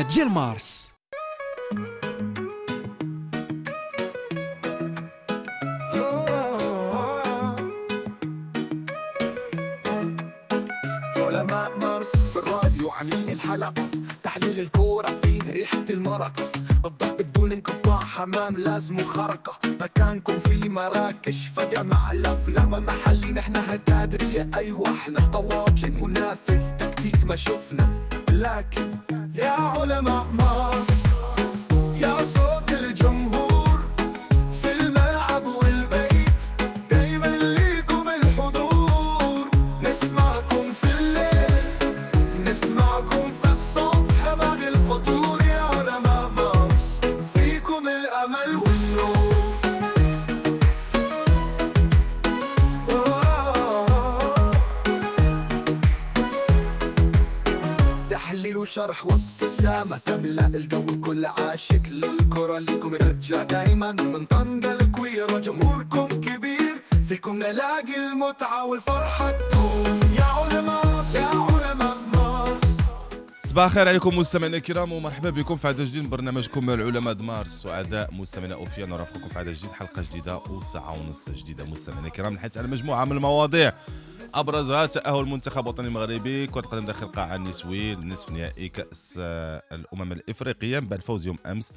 العلماء ديال مارس. علماء مارس في الراديو عاملين الحلقة، تحليل الكورة فيه ريحة المرقة، الضحك بدون انقطاع، حمام لازم خرقة، مكانكم في مراكش فجأة مع الأفلام محلي، نحنا هتادرية أيوة احنا طواجن منافذ تكتيك ما شفنا، لكن يا علماء مارس يا صوت الجمهور في الملعب والبيت، دايما ليكم الحضور، نسمعكم في الليل نسمعكم في الصبح بعد الفطور، يا علماء مارس فيكم الأمل والنور. تحليل وشرح وابتسامة تملأ الجو، كل عاشق للكرة ليكم رجع دايما من طنجة الكويرة، جمهوركم كبير فيكم نلاقي المتعة والفرحة تدوم، يا علماء يا علماء مارس. صباح الخير عليكم مستمعينا الكرام، ومرحبا بكم في عدد جديد من برنامجكم العلماء د مارس. سعداء مستمعينا اوفيا نرافقكم في عدد جديد، حلقة جديدة وساعة ونص جديدة مستمعينا الكرام، نحدث على مجموعة من المواضيع ابرزها تاهل المنتخب الوطني المغربي كره القدم داخل القاعة النسوي لنصف نهائي كاس الامم الافريقية بعد فوز يوم امس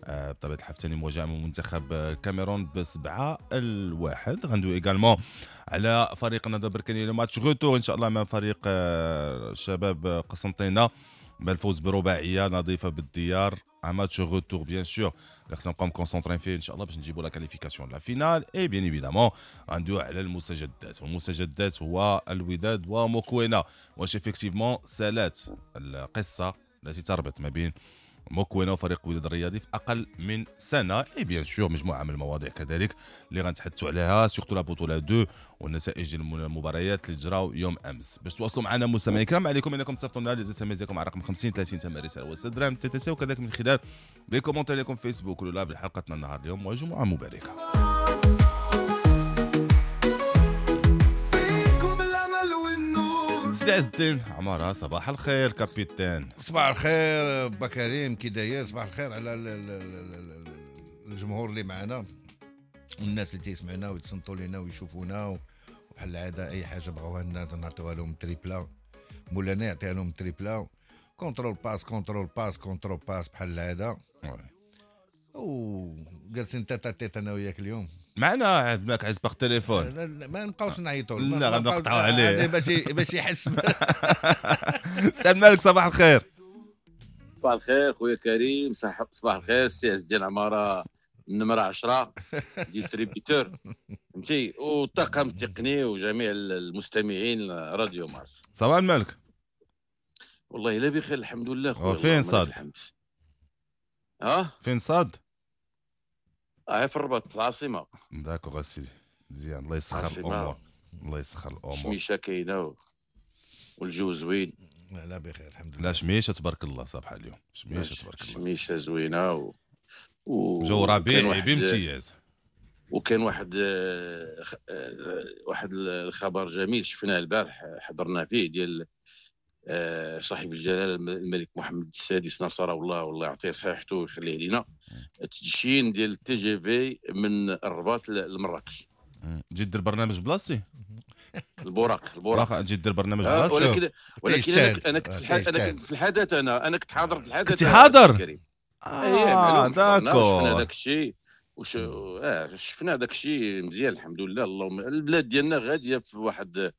بطبيعة الحال ثاني مواجهة من منتخب الكاميرون ب7-1. غندوي également على فريق النهضة البركانيه le match retour ان شاء الله مع فريق شباب قسنطينه بالفوز برباعيه نظيفة بالديار، match retour bien sûr اللي خصنا نبقاو concentrés فيه ان شاء الله باش نجيبوا la qualification la finale. et bien évidemment غندويو على المستجدات، والمستجدات هو الوداد وموكوينا، واش effectivement سالات القصة التي تربط ما بين موكوينا وفريق الوداد الرياضي في اقل من سنة. et bien sûr مجموعة من المواضيع كذلك اللي غنتحدثوا عليها، surtout la بطوله 2 والنتائج ديال المباريات اللي جراو يوم امس. باش تواصلوا معنا مستمعي الكرام، عليكم انكم تصيفطوا لنا les SMS ديالكم على رقم 50 30 ثمن رسالة و6 درهم TTC، وكذلك من خلال les commentaires ديالكم في فيسبوك ولا live لحلقتنا النهار اليوم. وجمعه مباركة. فيكم الأمل والنور. سيدي عز الدين عمارة، صباح الخير capitaine. صباح الخير با كريم، كي داير؟ صباح الخير على الجمهور اللي معنا والناس اللي تيسمعنا ويتصنتوا لنا ويشوفونا، وبحال العادة اي حاجة بغاوها لنا نعطيوها لهم triplé، مولانا يعطيها لهم triplé، contrôle passe contrôle passe contrôle passe بحال العادة. وجالسين tête à tête انا وياك اليوم معنا عبد عز par téléphone، ما نبقاوش نعيطوا، لا غنقطعوا عليه باش يحس. سلام مالك، صباح الخير. صباح الخير خويا كريم، صباح الخير سي عز الدين عمارة النمرة 10 distributeur، فهمتي، والطاقم التقني وجميع المستمعين راديو مارس. صباح الملك. والله لا بخير الحمد لله خويا. فين صاد؟ ها فين صاد؟ في الرباط العاصمة. d'accord اسيدي، مزيان، الله يسخر الامور، الله يسخر الامور. شميشه كاينه والجو زوين. لا بخير الحمد لله. لا شميشه تبارك الله صباح اليوم، شميشه تبارك الله، شميشه زوينة جو ربيعي بامتياز. وكان واحد الخبر جميل شفناه البارح حضرنا فيه ديال صاحب الجلاله الملك محمد السادس نصره الله، والله يعطيه صحته ويخليه لينا، التدشين ديال ال TGV من الرباط لمراكش. جيت دير برنامج بلاصتي البراق جيت دير برنامج بلاصتي، ولكن انا كنت في الحدث، انا كنت حاضر في الحدث. كنت حاضر؟ D'accord. شفنا داك الشيء شفنا داك الشيء مزيان الحمد لله. اللهم البلاد ديالنا غادية في واحد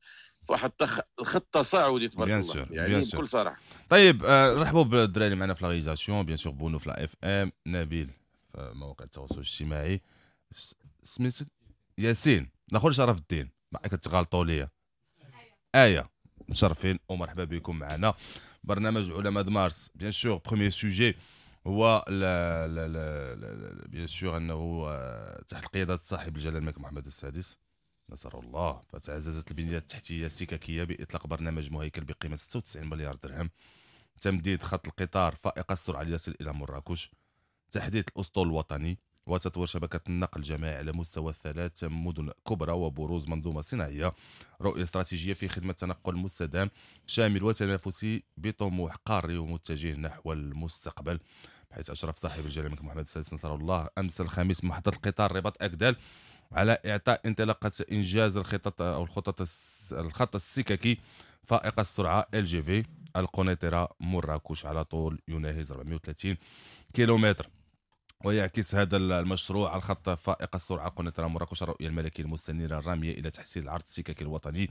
الخط تصاعدي تبارك الله، يعني بكل صراحة. طيب رحبوا بالدراري معنا في la réalisation، bien sûr بونو في la FM، نبيل في مواقع التواصل الاجتماعي، سميتك ياسين الاخر شرف الدين، ما كتغالطوا ليا. ايه مشرفين ومرحبا بكم معنا برنامج علماء مارس. bien sûr premier sujet هو bien sûr انه تحت قيادة صاحب الجلاله الملك محمد السادس نصر الله، فتعززت البنية التحتية السككيه باطلاق برنامج مهيكل بقيمة 96 مليار درهم، تمديد خط القطار فائق السرعة ليصل الى مراكش، تحديث الاسطول الوطني، وتطوير شبكة النقل الجماعي على مستوى 3 مدن كبرى وبروز منظومة صناعية. رؤية استراتيجية في خدمة تنقل مستدام شامل وتنافسي بطموح قاري ومتجه نحو المستقبل. بحيث أشرف صاحب الجلالة الملك محمد السادس نصره الله أمس الخميس محطة القطار رباط أكدال على إعطاء انطلاقة إنجاز الخطط أو الخطط الخط السككي فائق السرعة LGV القنيطرة مراكش على طول يناهز 430 كيلومتر. ويعكس هذا المشروع الخط فائق السرعة القنيطرة مراكش الرؤية الملكية المستنيرة الرامية إلى تحسين العرض السككي الوطني،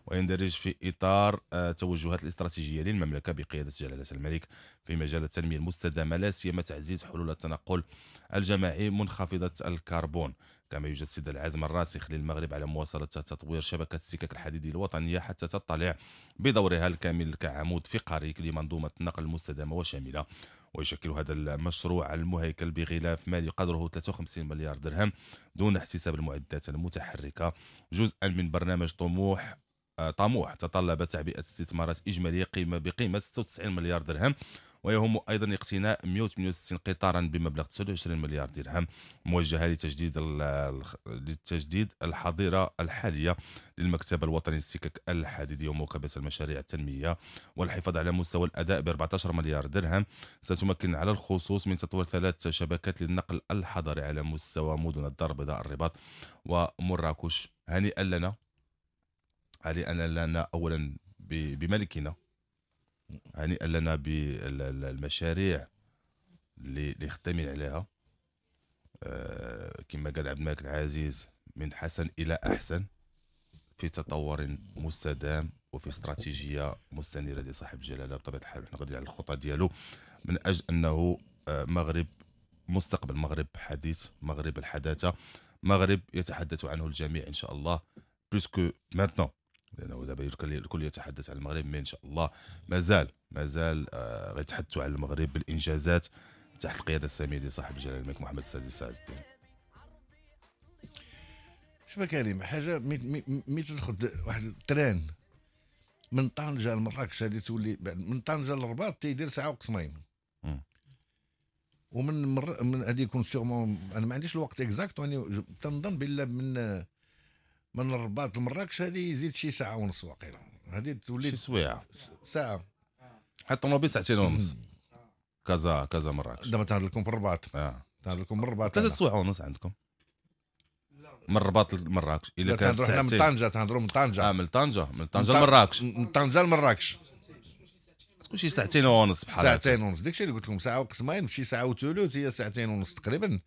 ويندرج في إطار التوجهات الاستراتيجية للمملكة بقيادة جلالة الملك في مجال التنمية المستدامة، لا سيما تعزيز حلول التنقل الجماعي منخفضة الكربون. كما يجسد العزم الراسخ للمغرب على مواصلة تطوير شبكة السكك الحديدية الوطنية حتى تطلع بدورها الكامل كعمود فقري لمنظومة النقل المستدامة وشاملة. ويشكل هذا المشروع المهيكل بغلاف مالي قدره 53 مليار درهم دون احتساب المعدات المتحركة جزءا من برنامج طموح تطلب تعبئة استثمارات إجمالية بقيمة 96 مليار درهم، ويهم أيضا اقتناء 168 قطارا بمبلغ 29 مليار درهم موجهة لتجديد الحظيرة الحالية للمكتب الوطني للسكك الحديدية ومواكبة المشاريع التنمية والحفاظ على مستوى الأداء ب 14 مليار درهم. ستمكن على الخصوص من تطوير 3 شبكات للنقل الحضري على مستوى مدن الدار البيضاء، الرباط ومراكش. هنيئا لنا أولا بملكنا، هنيئا لنا بالمشاريع اللي خدامين عليها، كما قال عبد الملك العزيز من حسن إلى أحسن، في تطور مستدام وفي استراتيجية مستنيرة لصاحب الجلالة. بطبيعة الحال حنا غاديين على الخطة ديالو من أجل أنه مغرب مستقبل، مغرب حديث، مغرب الحداثة، مغرب يتحدث عنه الجميع إن شاء الله، plus que maintenant، لأنه دابا الكل يتحدث عن المغرب، mais إن شاء الله مازال غيتحدثوا على المغرب بالإنجازات تحت القيادة السامية لصاحب الجلالة الملك محمد السادس عز الدين. شوف كريم، حاجة مي تدخل واحد ال train من طنجة لمراكش، هذه تولي من طنجة للرباط تيدير ساعة وقسمين، ومن من هذه يكون sûrement، أنا ما عنديش الوقت exact، وأنا تنظن بالله من الرباط لمراكش هذه يزيد شي ساعة ونص واقيلا، هذه تولي شي سويعة ساعة، حتى الطوموبيل ساعتين ونص كازا مراكش. دابا تنهضر لكم في الرباط، تنهضر لكم من الرباط 3 سوايع ونص عندكم من الرباط لمراكش. إلا كانت ساعتين من طنجة، تنهضروا من طنجة، من طنجة لمراكش، من طنجة لمراكش تكون شي ساعتين ونص بحال ساعتين ونص. داكشي اللي قلت لكم ساعة وقسمين، شي ساعة وثلث، هي ساعتين ونص تقريبا.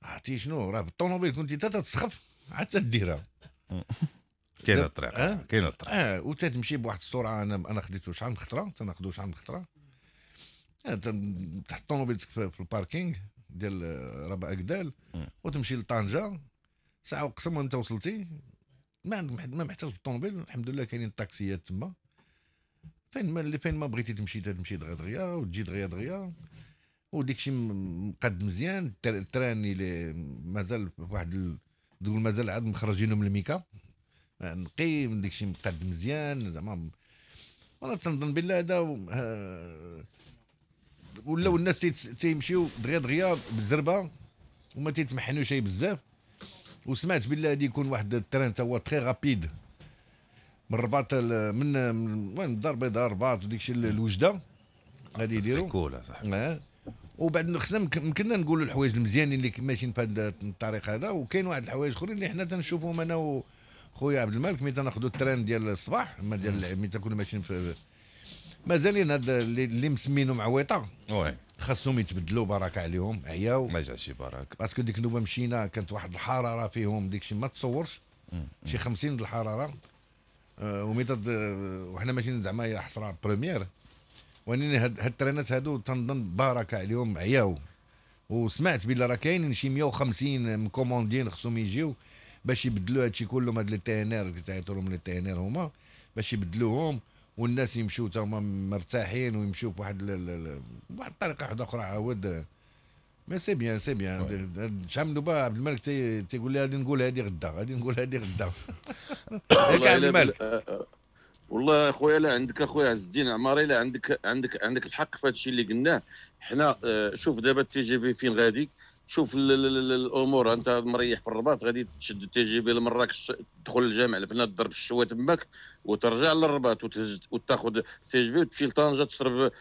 عرفتي شنو راه بالطوموبيل كنتي تتسخف عاد تديرها. كاينه الطريق، كاينه الطريق، وتتمشي بواحد السرعة. انا خديته شحال من خطره، تناخذو شحال من خطره، تحط طوموبيلتك في ال parking ديال رباط أكدال وتمشي لطنجه ساعة وقسم وانت وصلتي. ما عندك ما محتاج بالطوموبيل، الحمد لله كاينين الطاكسيات تما، فين ما بغيتي تمشي تمشي دغيا دغيا وتجي دغيا دغيا، وديك الشيء مقاد مزيان. ال train اللي مازال واحد تقول مازال عاد مخرجينه من الميكا نقي، من داك الشيء مقاد مزيان زعما. وانا تنظن بالله هذا ولاو الناس تيمشيو دغيا دغيا بالزربه وما تيتمحنوا شي بزاف. وسمعت بالله غادي يكون واحد ال train تا هو très rapide من الرباط، من وين الدار البيضاء الرباط وديك الشيء الوجده غادي يديروا cool صاحبي. وبعد خصنا يمكننا نقولوا الحوايج المزيانين اللي ماشيين في هذا الطريق هذا، وكاين واحد الحوايج اخرين اللي حنا تنشوفوهم انا وخويا عبد الملك ملي تناخذوا ال train ديال الصباح، ما ديال ملي تنكونوا ماشيين في مازالين هاد اللي مسمينهم عويطه، oui خاصهم يتبدلوا، بركة عليهم عياو ما يجعش بركة، parce que ديك النوبة مشينا كانت واحد الحرارة فيهم ديك الشيء ما تصورش، شي 50 د الحرارة، وحنا ماشيين زعما يا حسرة première. ولكن هاد الترينات هادو تنظن بركة عليهم عياو. وسمعت بلي راه كاينين شي 150 مكوموندين خصهم يجيو باش يبدلوا هادشي كلهم، هاد les TNR تعيطوا لهم les TNR هما باش يبدلوهم، والناس يمشيو تا هما مرتاحين ويمشيو بواحد بواحد الطريقة واحدة اخرى عاود. mais c'est bien، c'est bien. شحال من دابا عبد الملك تيقول لي غادي نقول هادي غدا، غادي نقول هادي غدا. والله عبد الملك، والله اخويا لا عندك اخويا عز الدين عماري، لا عندك عندك عندك الحق في هادشي اللي قلناه حنا. شوف دابا ال TGV فين غادي، شوف الامور، انت مريح في الرباط غادي تشد ال TGV لمراكش، تدخل للجامع الفنا تضرب الشوا تماك وترجع للرباط وتهز وتاخذ TGV وتمشي لطنجه تشرب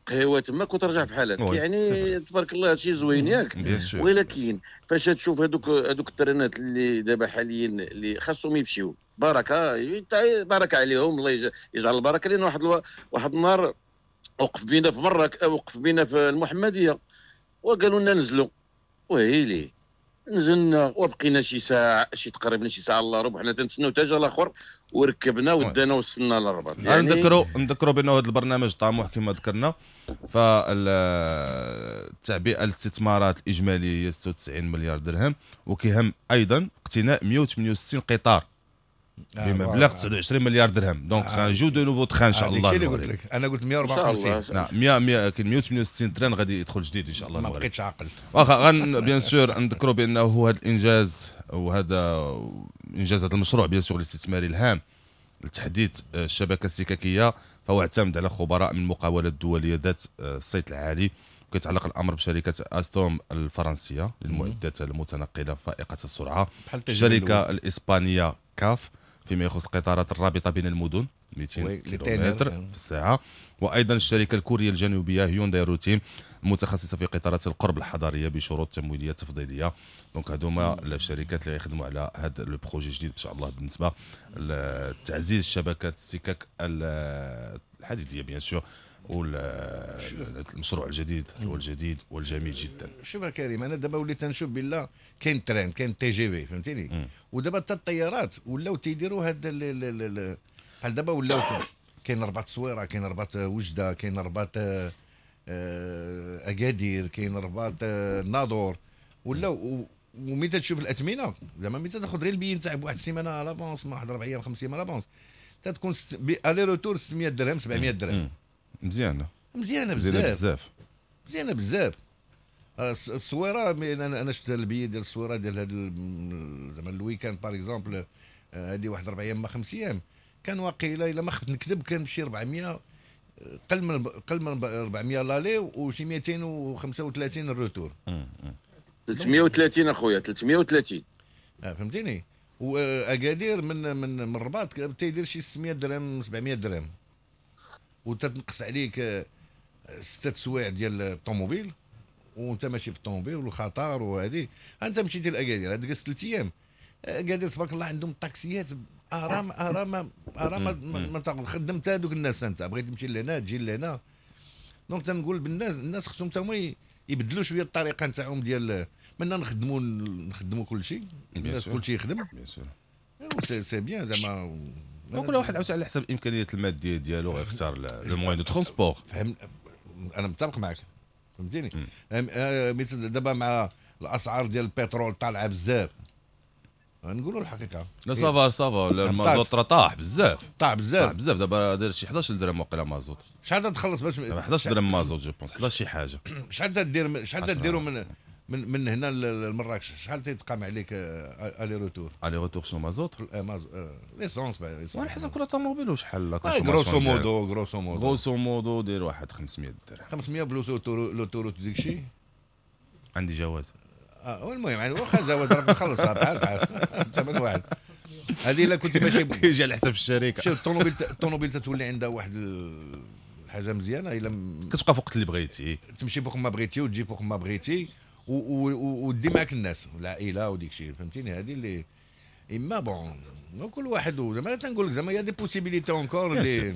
قهوة تماك وترجع في حالك. يعني تبارك الله هادشي زوين ياك. ولكن فاش تشوف هذوك الترنات اللي دابا حاليا اللي خاصهم يمشيو، بركة بركة عليهم، الله يجعل البركة. لان واحد النهار وقف بينا في مراك، وقف بينا في المحمدية وقالوا لنا نزلوا، وهيلي نزلنا وبقينا شي ساعة، شي تقريبا شي ساعة الا ربع حنا تنتسناو حتى جا الاخر وركبنا ودانا وصلنا للرباط. يعني نذكروا بانه هذا البرنامج طموح كما ذكرنا، فالتعبئه الاستثمارات الاجمالية هي 96 مليار درهم، وكيهم ايضا اقتناء 168 قطار بمبلغ 29 مليار درهم. donc غنجيو de nouveaux trains ان شاء الله. هادشي اللي قلت لك، انا قلت 154. نعم 100 كاين 168 train غادي يدخل جديد ان شاء الله. ما بقيتش عاقل. واخا غن bien sûr نذكروا بانه هذا الانجاز وهذا انجاز هذا المشروع bien sûr الاستثماري الهام لتحديث الشبكة السككيه، فهو اعتمد على خبراء من المقاولات الدولية ذات الصيت العالي. وكيتعلق الامر بشركه استوم الفرنسية للمعدات المتنقله فائقة السرعة، الشركة الاسبانية كاف فيما يخص القطارات الرابطة بين المدن 200 كيلومتر في الساعة، وايضا الشركة الكورية الجنوبية هيونداي روتيم المتخصصة في قطارات القرب الحضارية بشروط تمويلية تفضيليه. donc هذوما الشركات اللي يخدموا على هذا le projet الجديد ان شاء الله بالنسبة لتعزيز شبكة السكك الحديدية bien sûr، والمشروع الجديد والجديد والجميل جدا. شوف كريم، انا دابا وليت نشوف بالله كاين train، كاين TGV، فهمتيني؟ ودابا حتى الطيارات ولاو تيديروا هاد بحال دابا ولاو كاين رباط الصويره، كاين رباط وجده، كاين رباط اكادير، كاين رباط الناظور، ولاو. وملي تشوف الاثمنه زعما ملي تاخذ غير البي نتاع بواحد السيمانة à l'avance، ما واحد 4 ايام 5 ايام à l'avance، تتكون aller-retour 600 درهم 700 درهم. مزيانه مزيانه بزاف، مزيانه بزاف. الصويره انا شفت البي ديال الصويره ديال هذا زعما ال week-end par exemple، هذه واحد 4 ايام ما 5 ايام، كان واقيلا الا ما خفت نكذب كان شي 400، قل من 400 l'aller وشي 235 ال retour. 330 اخويا 330. فهمتيني؟ واكادير من من الرباط تيدير شي 600 درهم 700 درهم، وتتنقص عليك 6 سوايع ديال الطوموبيل وانت ماشي بالطوموبيل والخطر وهذه. انت مشيتي لاكادير هاد جلست 3 ايام، اكادير تبارك الله عندهم الطاكسيات ارام ارام ارام، ما خدمت هذوك الناس، انت بغيت تمشي لهنا تجي لهنا. donc تنقول بالناس، الناس خصهم حتى هما يبدلوا شوية الطريقة نتاعهم ديال منا نخدموا كل شيء، الناس كل شيء يخدم bien sûr، c'est bien زعما. كل واحد عاوتاني على حسب الامكانيات المادية ديالو غيختار le moyen de transport. فهم، انا متفق معك، فهمتيني؟ دابا مع الاسعار ديال البترول طالعه بزاف، نقولوا الحقيقة. لا ça va ça va، المازوت راه طاح بزاف، طاح بزاف بزاف. دابا داير شي 11 درهم واقيلا مازوت. شحال تخلص باش 11 درهم مازوت je pense، 11 شي حاجة. شحال تدير، شحال تديروا من هنا لمراكش، شحال تيتقام عليك aller-retour؟ aller-retour شنو مازوت؟ l'essence على حسب كل طوموبيل وشحال. grosso modo، grosso modo، grosso modo دير واحد 500 درهم، 500 plus l'autoroute ديك الشيء. عندي جواز. المهم يعني واخا جواز راه مخلصها بحال بحال ثمن واحد. هذه الا كنت ماشي يجي على حسب الشركة. شوف الطوموبيل تتولي عندها واحد الحاجة مزيانه، الا كتبقى فوق اللي بغيتي، تمشي فوق ما بغيتي وتجي فوق ما بغيتي ودي معك الناس العائلة وديك الشيء، فهمتيني؟ هذه اللي اما bon كل واحد زعما تنقول لك زعما y a des possibilités encore اللي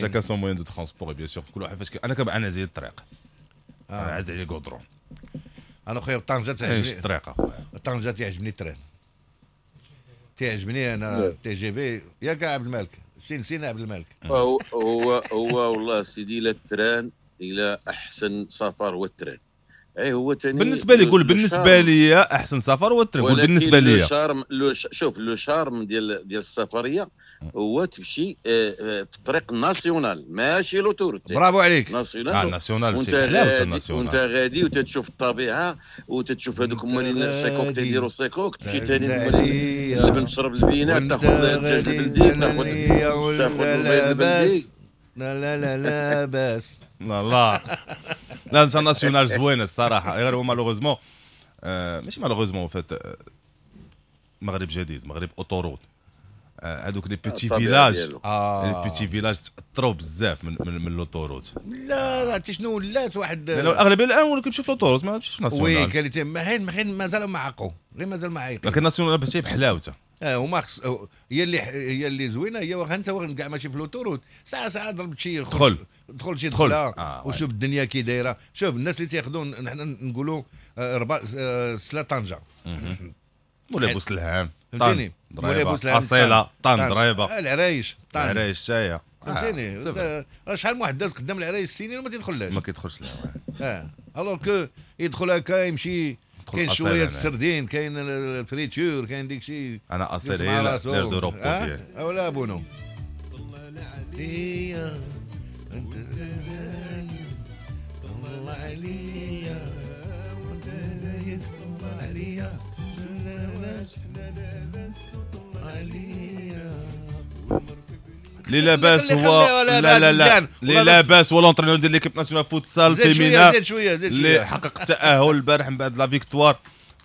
chacun son moyen de transport bien sûr. كل واحد فاش انا كنبقى انا زيد الطريق، انا عز عليا كودرون. انا خويا طنجه تعجبني الطريق اخويا، طنجه تعجبني ال train، تعجبني انا TGV. ياك عبد الملك، سينا عبد الملك. هو هو والله سيدي لا ال train الى احسن سفر هو ال train. اي هو ثاني بالنسبة لي، قول بالنسبة لي احسن سفر هو ال train. قول بالنسبة لي charme شوف le charme ديال السفرية هو تمشي في الطريق nationale ماشي l'autoroute. برافو عليك. nationale nationale، c'est nationale. وانت غادي وتتشوف الطبيعة وتتشوف هذوك مالين السيكوك تيديروا السيكوك، تمشي ثاني اللبن تشرب البينة، تاخذ الدجاج البلدي، تاخذ البيض البلدي. لا لا لا لا باس. لا لا لا nationale زوينة الصراحة، غير هو malheureusement ماشي malheureusement فات مغرب جديد، مغرب autoroute، هذوك les petits villages، les petits villages تاثروا بزاف من l'autoroute. لا لا عرفتي شنو ولات واحد الاغلبية الان ولا كيمشيو في l'autoroute ما كيمشيوش في nationale. oui qualité ما حين مازالوا ما عاقوا، غير مازال ما عايقين. لكن nationale بس بحلاوته. هما هي اللي زوينة، هي واخا انت كاع ماشي في l'autoroute، ساعة ضربت شي دخل شي دخله وشوف الدنيا كي دايرة. شوف الناس اللي تياخذوا، نحن نقولوا سلا طنجه مولاي بوسلهام، فهمتيني، مولاي بوسلهام اصيلة، طن ضريبة، العرايش، طن العرايش تاهي، فهمتيني. شحال من واحد داز قدام العرايش سنين وما تيدخلهاش، ما كيدخلش لها. alors que يدخل هكا يمشي، كاين شوية السردين، كاين ال friture، كاين ديك شي. انا اصيل هي l'aire de repos ديالي ولا بونو. طلع عليا وانت دايز، طلع عليا لي لاباس هو لا لا لا لي لاباس هو l'entraîneur ديال l'équipe nationale futsal féminin اللي حقق التاهل البارح من بعد la victoire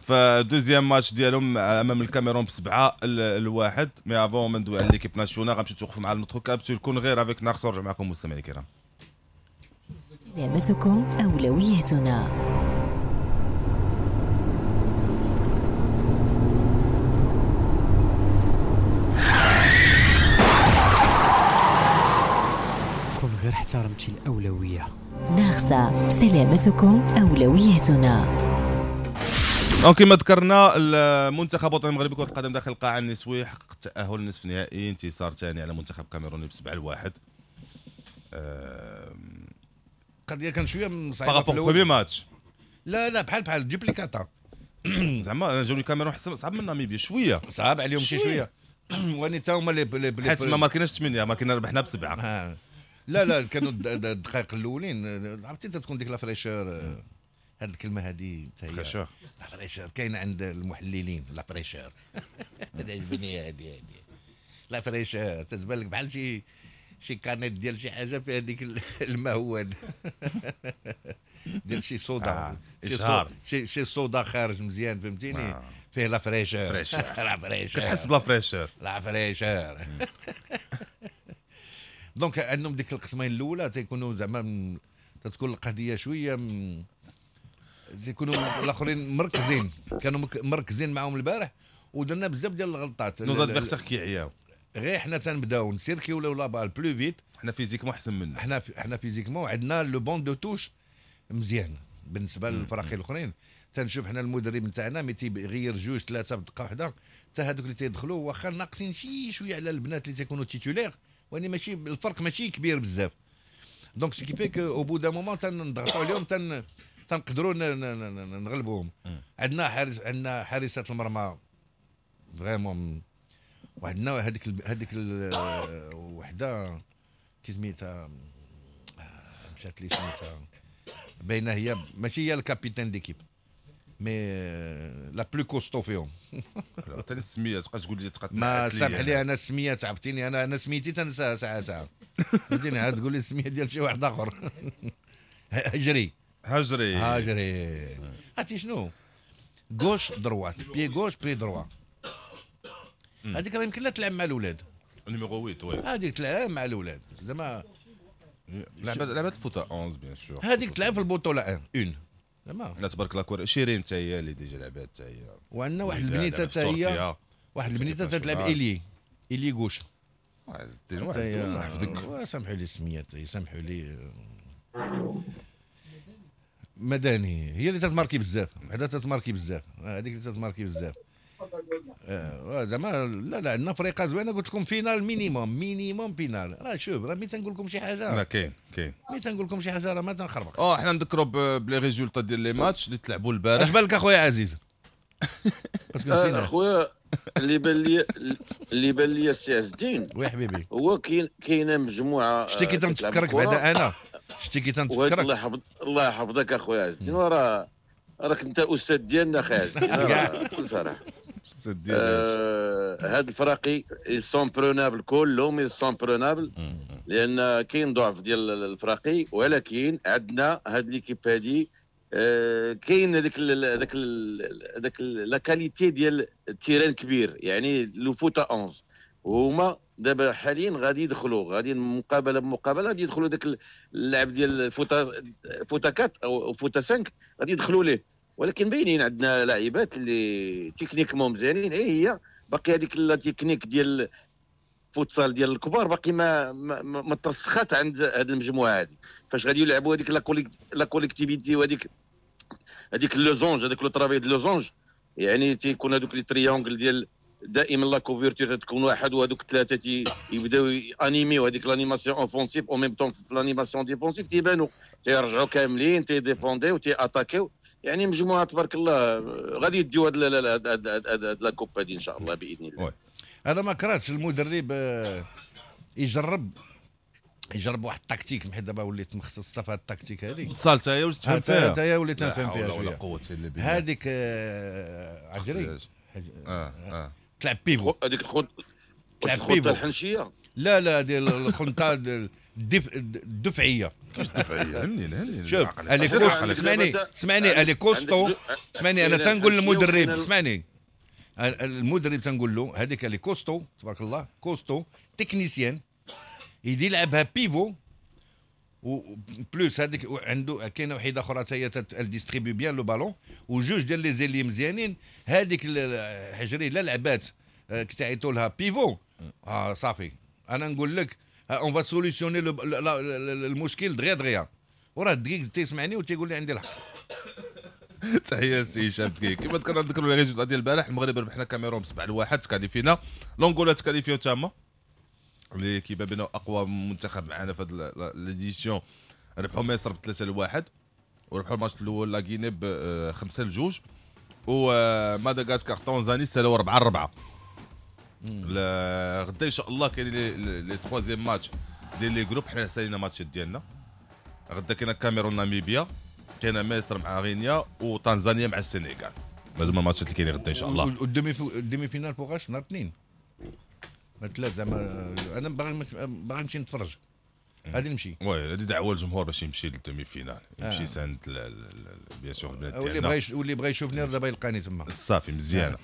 ف deuxième match ديالهم امام الكاميرون ب7-1. mais avant ما ندوي على l'équipe nationale غنمشيو توقفوا مع notre capsule كون غير avec ناقص. نرجع معكم مستمعينا الكرام. سلامتكم اولويتنا. غير احترمتي الأولوية. ناغسة، سلامتكم أولويتنا. donc كما ذكرنا المنتخب الوطني المغربي كرة القدم داخل القاعة النسوية حقق التأهل للنصف النهائي، انتصار ثاني على منتخب كاميروني ب7-1. القضية كان شوية صعيبة par rapport premier match. لا لا بحال duplicata زعما جاوني الكاميرون صعب من ناميبيا شوية، صعب عليهم شي شوية واني تا هما لي حيت ما ماركيناش 8، ماركينا ربحنا ب7. لا لا كانوا الدقائق الاولين عرفتي تكون ديك la fraîcheur، هاد الكلمة هذه حتى هي fraîcheur، la fraîcheur كاينه عند المحللين. la fraîcheur تعجبني هذه la fraîcheur، تتبان لك بحال شي canette ديال شي حاجة فيها ديك الماء هو ديال شي صودا، شي صودا خارج مزيان، فهمتيني، فيه la fraîcheur، la fraîcheur كتحس ب la fraîcheur، la fraîcheur. donc عندهم ديك القسمين الاولى تيكونوا زعما تتكون القضية شوية تيكونوا الاخرين مركزين، كانوا مركزين معاهم البارح ودرنا بزاف ديال الغلطات. nos adversaires كيعياو، غير حنا تنبداو نسيركيو la balle plus vite، حنا physiquement احسن منا، حنا physiquement عندنا le banc de touche مزيان بالنسبة للفرق الاخرين. تنشوف حنا المدرب نتاعنا mais تيغير 2 3 في دقه واحدة، حتى هذوك اللي تيدخلوا واخا ناقصين شي شوية على البنات اللي تيكونوا titulaires، واني ماشي الفرق ماشي كبير بزاف. donc ce qui fait que au bout d'un moment تنضغطوا عليهم تنقدروا نغلبوهم. عندنا حارس، عندنا حارسه المرمى vraiment، وعندنا هذيك وحده كي سميتها مشات لي سميتها باينة، هي ماشي هي ال capitaine d'équipe mais la plus costaud فيهم. حتى السمية تبقى تقول لي تبقى ما سامح لي انا السمية تعبتيني، انا سميتي تنساها ساعة ساعة، فهمتيني، عاد تقول لي السمية ديال شي واحد اخر. هجري هجري عرفتي شنو، gauche droite pied gauche pied droit، هذيك راه يمكن لا تلعب مع الاولاد numéro 8. oui هذيك تلعب مع الاولاد زعما لعبت الفوتا 11 bien sûr، هذيك تلعب في البطولة 1 زعما. لا تبارك الله كور شيرين حتى هي اللي déjà لعبات حتى هي، وعندنا واحد البنيته حتى هي، واحد البنيته تلعب ailier gauche. زدتي واحد الله يحفظك. سامحوا لي السميات، يسامحوا لي. مداني هي اللي تتماركي بزاف، وحده تتماركي بزاف، هذيك اللي تتماركي بزاف. زعما لا لا عندنا فريقه زوينة، قلت لكم finale minimum finale. راه شوف راه ملي تنقول لكم شي حاجة، لا كاين ملي تنقول لكم شي حاجة راه ما تنخربق. حنا نذكروا ب les résultats ديال les matchs اللي تلعبوا البارح. اش بالك اخويا عزيز؟ اخويا اللي بان لي السي عز الدين، oui حبيبي، هو كاينه مجموعة. شتي كي تنتفكرك بعدا انا، شتي كي تنتفكرك. الله يحفظك اخويا عز الدين، وراه راك انت استاذ ديالنا اخي عز الدين بكل صراحة. هاد الفراقي sont prenables، كلهم sont prenables، لان كاين ضعف ديال الفراقي، ولكن عندنا هاد l'équipe هادي كاين هذيك هذاك هذاك la qualité ديال ال terrain كبير، يعني le foot à 11. وهما دابا حاليا غادي يدخلوا، غادي مقابله بمقابله غادي يدخلوا داك اللعب ديال foot à 4 او foot à 5 غادي يدخلوا ليه. ولكن باينين عندنا لاعبات اللي techniquement مزيانين، اي هي باقي هذيك la technique ديال فوتسال ديال الكبار باقي ما ترسخات عند هذه المجموعة هذه. فاش غادي يلعبوا هذيك la collectivité وهذيك losange، هذاك le travail de losange، يعني تيكون هذوك les triangles ديال دائما la couverture تكون واحد، وهذوك ثلاثة يبداو animer، هذيك l'animation offensive au même temps في l'animation défensive تيبانوا تيرجعوا كاملين تي défendre و تي attaquer. يعني مجموعة تبارك الله غادي يديو هاد la coupe هادي ان شاء الله باذن الله. انا ما كرهتش المدرب يجرب واحد التكتيك، حيت دابا وليت مختص في هاد التكتيك هذه. اتصال حتى هي واش تفهم فيها؟ حتى هي وليت نفهم فيها شوية. هذيك عجري تلعب pivot، هذيك الخطة الحنشيه. لا لا ديال الخنطه الدفعيه. الدفعيه هني شوف elle est costaud، اسمعني elle est costaud، اسمعني انا تنقول للمدرب، اسمعني المدرب تنقول له هذيك elle est costaud تبارك الله، costaud technicienne، يدي يلعبها pivot و plus هذيك عنده كاينه وحيده اخرى حتى هي distribue bien le ballon، وجوج ديال les ailiers مزيانين. هذيك الحجري لا لعبات كتعيطوا لها pivot، صافي انا نقول لك on va solutionner المشكل دغيا دغيا. وراه الدقيق تيسمعني وتيقول لي عندي الحق. تحية سي هشام دقيق. كما ذكرنا نذكروا les résultats ديال البارح، المغرب ربحنا كاميرون ب7-1 qualifi ينا، l'Angola ت qualifi ياو تما اللي كيبان بانه اقوى منتخب معنا في هذه l'édition، ربحوا مصر ب3-1 وربحوا الماتش الاول la Guinée ب5-2، ومادغاسكار تنزاني سالوا 4-4. غدا ان شاء الله كاين les troisièmes matchs ديال les groupes، حنا سالينا ماتشات ديالنا. غدا كاين كاميرون ناميبيا، كاين مصر مع غينيا، وتنزانيا مع السنغال. هادو هما الماتشات اللي كاينين غدا ان شاء الله. وال demi-finale فوقاش؟ نهار الاثنين ثلاث زعما. انا باغي نمشي نتفرج، غادي نمشي. oui هذه دعوه للجمهور باش يمشي لل demi-finale، يمشي ساند bien sûr البلاد ديالنا. واللي بغى يشوفني دابا يلقاني تما. صافي مزيانه.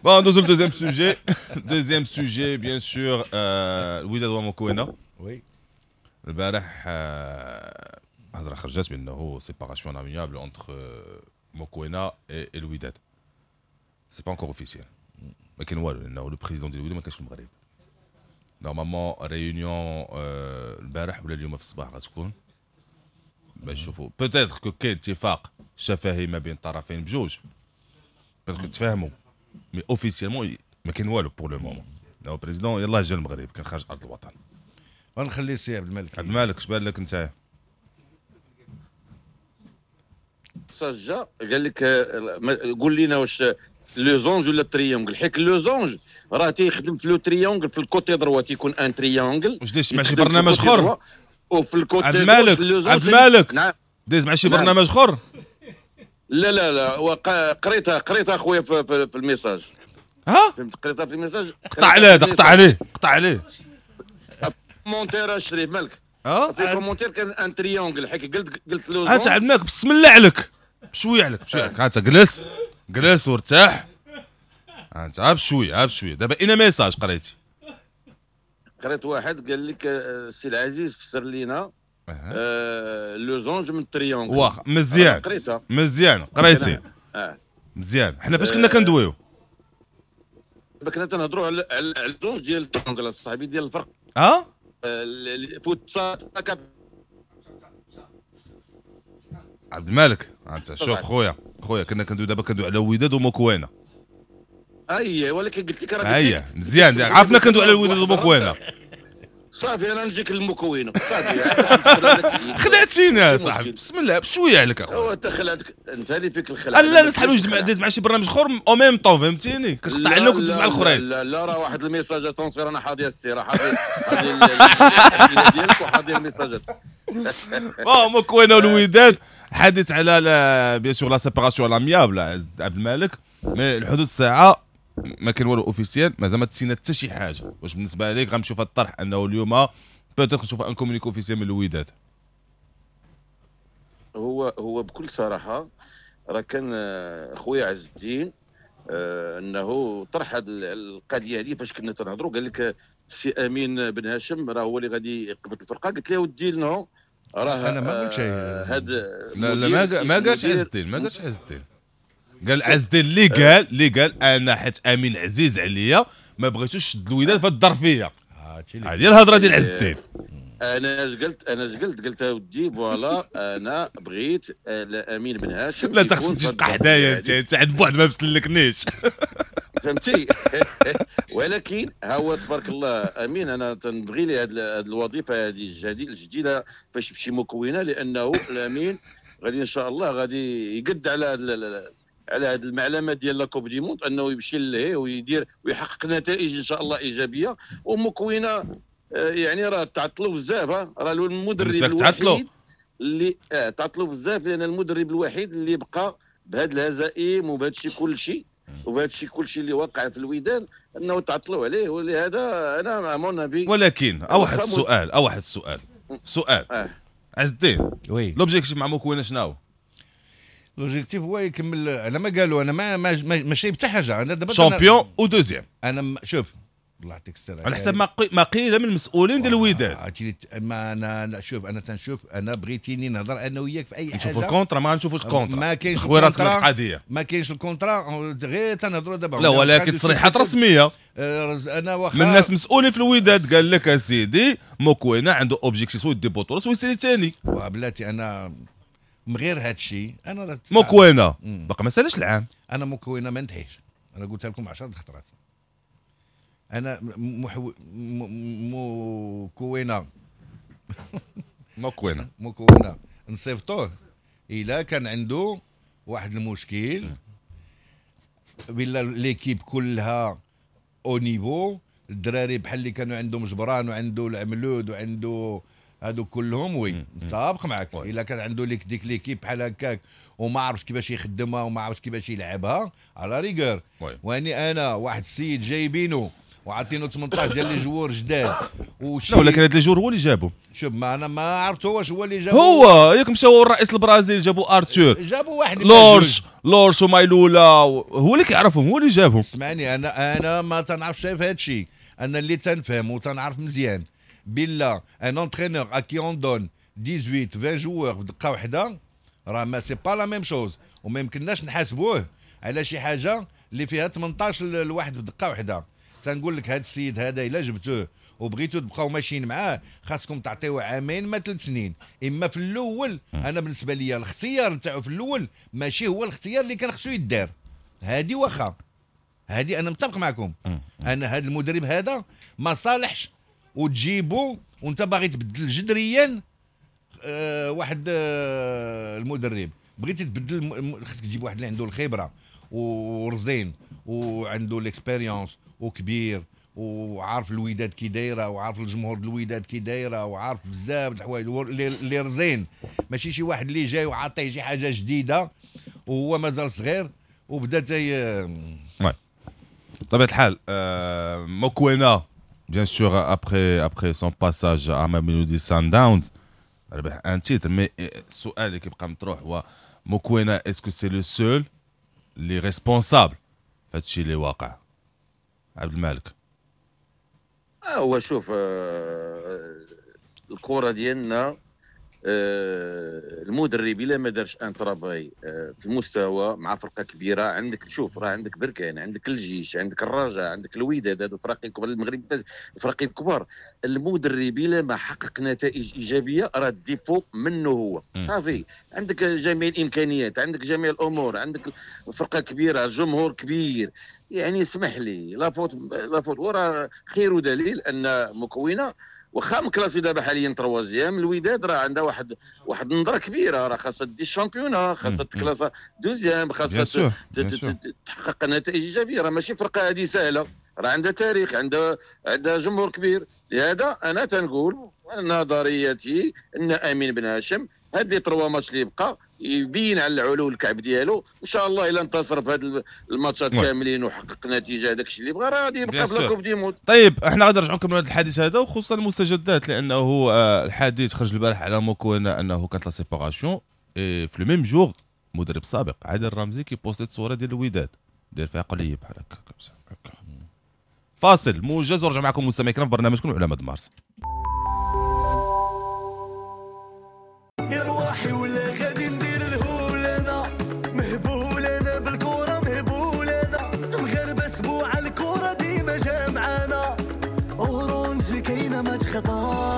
bon ندوزو ل deuxième sujet. deuxième sujet bien sûr الوداد وموكوينا. oui البارح هضره خرجت بانه séparation amiable entre موكوينا et الوداد. c'est pas encore officiel، ما كاين والو لانه le président ديال الوداد ما كانش في المغرب. normalement réunion البارح ولا اليوم في الصباح غتكون باش نشوفوا peut-être que كاين اتفاق شفهي ما بين الطرفين بجوج، peut-être تفاهموا، mais officiellement ما كاين والو pour le moment. le président يلاه جا المغرب كان خارج ارض الوطن. غنخلي السي عبد الملك. عبد الملك اش بان لك انت؟ سجا قال لك قول لنا واش losange ولا triangle، حيت losange راه تيخدم في le triangle في ال côté droit تيكون un triangle. واش دايز مع شي برنامج اخر؟ وفي ال côté عبد الملك، عبد الملك نعم دايز مع شي برنامج اخر؟ لا لا لا قريتها خويا في ال message. ها فهمت، قريتها في ال message. قطع عليه، قطع عليه، قطع عليه commentaire الشريف مالك. في commentaire كان un triangle، حيت قلت losange. انت عبد الملك بسم الله عليك، بشوية عليك بشوية عليك، انت جلس جلس وارتاح، انت بشوية بشوية. دابا اين message قريتي؟ قريت واحد قال لك السي العزيز فسر لينا losange من triangle. واخا مزيان، قريتها مزيان، قريتي مزيان. حنا فاش كنا كندويو دابا كنا تنهضروا على ال losange ديال ال triangle صاحبي ديال الفرق. فوتسال. عبد الملك انت شوف خويا خويا كنا كندوي دابا كندوي على وداد وموكوينه. اي ولكن قلت لك راه اي مزيان، عرفنا كندوي على الوداد وموكوينه. صافي انا نجيك للمكوينه صافي. خلعتينا يا صاحبي، بسم الله بشوية عليك اخويا. انت خلعتك، انت اللي فيك الخلع. لا نسحب داز مع شي برنامج اخر au même temps، فهمتيني؟ كتقطع علينا وكتدوز مع الاخرين. لا لا راه واحد ال message attention، انا حاضي السي، راه حاضي الاسئلة ديالك وحاضي الميساجات. bon موكوينه والوداد حديث على bien sûr la séparation à l'amiable عبد الملك، mais الحدود الساعة ما كاين والو officiel، مازال ما تسينا حتى شي حاجة. واش بالنسبة لك غنمشيو في الطرح انه اليوم peut-être نشوف un communiqué officiel من الوداد؟ هو بكل صراحة راه كان خويا عز الدين انه طرح هذه القضية هذه فاش كنا تنهضروا، قال لك السي امين بن هاشم راه هو اللي غادي يقبض الفرقة. قلت له ودي non راه انا ما قلت شيء. هذا لا لا ما قالش عز الدين، ما قالش عز الدين. قال عز الدين اللي قال انا حيت امين عزيز عليا ما بغيتوش شد الوداد في الظرفية. هذه الهضرة ديال عز الدين. انا اش قلت قلت ودي voilà انا بغيت امين بن هاشم. لا انت خصك تبقى حدايا، انت عند بعد ما مسلكنيش فهمتي. ولكن ها هو تبارك الله امين، انا تنبغي لي هذه الوظيفة هذه الجديدة فاش يمشي مكونة، لانه الامين غادي ان شاء الله غادي يقد على هذه المعلمة ديال la Coupe du Monde، انه يمشي ليه ويدير ويحقق نتائج ان شاء الله ايجابية. ومكونه يعني راه تعطلوا بزاف، راه المدرب الوحيد اللي تعطلوا بزاف، لان المدرب الوحيد اللي بقى بهذه الهزائم وبهذا الشيء كل شيء وبهذا الشيء كل شيء اللي وقع في الوداد انه تعطلوا عليه. ولهذا انا à mon avis. ولكن واحد السؤال عز الدين، oui l'objectif مع مكونة شنو؟ l'objectif هو يكمل على ما قالوا. انا ما ما شايف حتى حاجة. انا دابا champion و deuxième. انا شوف الله يعطيك السلامة، على حسب ما قيل من المسؤولين ديال الوداد. ما انا شوف، انا تنشوف، انا بغيتيني نهضر انا وياك في اي حاجة. نشوفوا ال contrat، ما نشوفوش ال contrat، ما كاينش خويا راسك القضية، ما كاينش ال contrat، غير تنهضروا دابا. لا ولكن تصريحات رسمية انا واخا من الناس مسؤولين في الوداد قال لك اسيدي مكوينه عنده objectif soit يدي بطوله soit يسالي ثاني. بلاتي انا من غير هذا الشيء انا مكوينه باقي ما سالش العام. انا مكوينه ما نتحيش، انا قلتها لكم 10 خطرات. انا مكوينه مكوينه نصيفطوه الا كان عنده واحد المشكل بلا l'équipe كلها au niveau، الدراري بحال اللي كانوا عندهم جبران وعنده العملود وعنده هادو كلهم oui متفق معاك. الا كان عنده ليك ديك l'équipe بحال هكاك وما عرفش كيفاش يخدمها وما عرفش كيفاش يلعبها à la rigueur. واني انا واحد السيد جايبينه وعاطينه 18 ديال les joueurs جداد لا ولكن هاد les joueurs هو اللي جابو. شوف ما انا ما عرفت واش هو اللي جابو. هو ياك مشاو الرئيس البرازيل جابوا ارتور، جابوا واحد لورش ومايلولا، هو اللي كيعرفهم، هو اللي جابهم. اسمعني انا ما تنعرفش في هذا الشيء. انا اللي تنفهم وتنعرف مزيان بلا un entraîneur à qui on donne 18 20 joueurs في دقه واحدة راه ما c'est pas la même chose، وما يمكنناش نحاسبوه على شي حاجة اللي فيها 18 الواحد في دقه واحدة. تنقول لك هذا السيد هذا الا جبتوه وبغيتو تبقاو ماشيين معاه خاصكم تعطيوه عامين ما 3 سنين. اما في الاول انا بالنسبة لي الاختيار نتاعو في الاول ماشي هو الاختيار اللي كان خصو يدار. هادي واخا هادي انا متفق معكم. انا هذا المدرب هذا ما صالحش وتجيبو وانت باغي تبدل جذريا واحد المدرب. بغيتي تبدل خصك تجيب واحد اللي عنده الخبرة ورزين وعنده l'expérience وكبير وعارف الوداد كي دايرة وعارف الجمهور الوداد كي دايرة وعارف بزاف د الحوايج اللي رزين، ماشي شي واحد اللي جاي وعاطيه شي حاجة جديدة وهو مازال صغير وبدا تي. بطبيعة الحال موكوينا bien sûr après son passage à Mamelodi Sundowns ربح un titre، mais السؤال اللي كيبقى مطروح هو موكوينا est-ce que c'est le seul اللي responsable فهادشي اللي واقع؟ عبد المالك. هو شوف الكره ديالنا المدرب الا ما دارش un travail في المستوى مع فرقه كبيرة، عندك شوف راه عندك بركان، عندك الجيش، عندك الرجاء، عندك الوداد، هادو الفرق الكبار المغرب، الفرق الكبار. المدرب الا ما حقق نتائج ايجابية راه ال défaut منه هو. صافي عندك جميع الامكانيات، عندك جميع الامور، عندك فرقه كبيرة، جمهور كبير، يعني اسمح لي la faute la faute. وراه خير دليل ان مكونة واخا مكلاسي دابا حاليا troisième، الوداد راه عندها واحد النظرة كبيرة، راه خاصها دي ال championnat، خاصها تكلاسا deuxième، خاصها تحقق نتائج ايجابية. راه ماشي فرقه هذه سهلة، راه عندها تاريخ، عندها جمهور كبير. لهذا انا تنقول نظريتي ان امين بن هاشم هاد les trois matchs اللي بقى يبين على العلو الكعب ديالو. ان شاء الله الا انتصر في هاد الماتشات كاملين وحقق نتيجة هذاك الشيء اللي بغى راه غادي يبقى في la Coupe du monde. طيب احنا غادي نرجعوا نكملوا هذا الحديث هذا، وخصوصا المستجدات، لانه الحديث خرج البارح على موكوينا انه كانت la séparation في le même jour. مدرب سابق عادل الرمزي كي posté صوره ديال الوداد داير فيها قليب بحال هكا. فاصل موجز ورجع معكم مستمعينا الكرام في برنامجكم علماء مارس. يا روحي ولا غادي ندير الهول انا مهبول، انا بالكرة مهبول، انا مغربه سبوع الكره ديما جامعانا، Orange كاينه ما تخطا.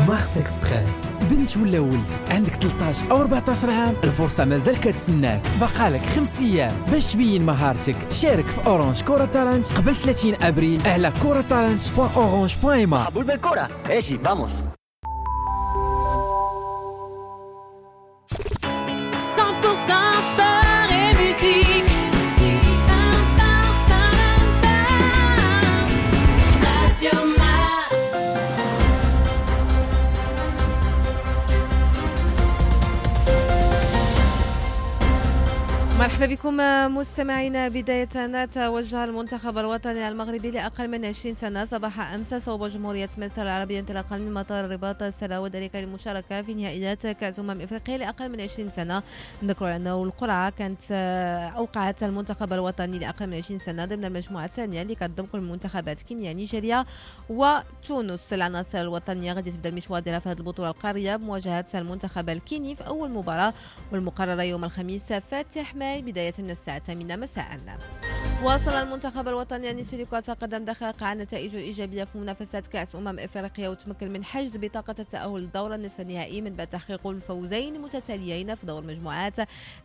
Mars Express، بنت ولا ولد عندك 13 او 14 عام، الفرصة مازال كتسناك، بقالك 5 ايام باش تبين مهارتك. شارك في Orange Kora Talent قبل 30 ابريل على koratalent.orange.ma. حبول بالكرة ايشي vamos. 100% sport et musique. Radio Mars. مرحبا بكم مستمعينا. بداية توجه المنتخب الوطني المغربي لأقل من 20 سنة صباح أمس صوب جمهورية مصر العربية انطلاقا من مطار الرباط السلا، وذلك للمشاركة في نهائيات كأس أمم إفريقيا لأقل من 20 سنة. نذكر أنه القرعة كانت أوقعت المنتخب الوطني لأقل من 20 سنة ضمن المجموعة الثانية اللي كتضم كل المنتخبات كينيا، نيجيريا وتونس. العناصر الوطنية غادي تبدا المشوار ديالها في هذه البطولة القارية بمواجهة المنتخب الكيني في أول مباراة والمقررة يوم الخميس فاتح ماي بداية من الساعة 8 مساء. واصل المنتخب الوطني النسوي لكرة القدم دقائق على نتائجه الإيجابية في منافسات كأس إفريقيا، وتمكن من حجز بطاقة التأهل للدور النصف النهائي من بعد تحقيق الفوزين المتتاليين في دور المجموعات.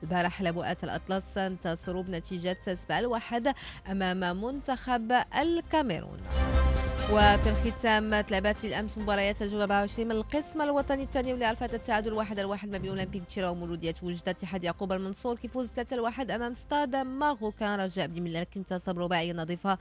البارح لبؤات الأطلس انتصروا بنتيجة 7-1 أمام منتخب الكاميرون. وفي الختام تلعبت بالامس مباريات الجولة 24 من القسم الوطني الثاني واللي عرفت التعادل 1-1 ما بين اولمبيك تشيرا ومولوديه وجده. اتحاد يعقوب المنصور كيفوز 3-1 امام ستاد ماروكان. رجاء بني ملال انتصر برباعيه نظيفة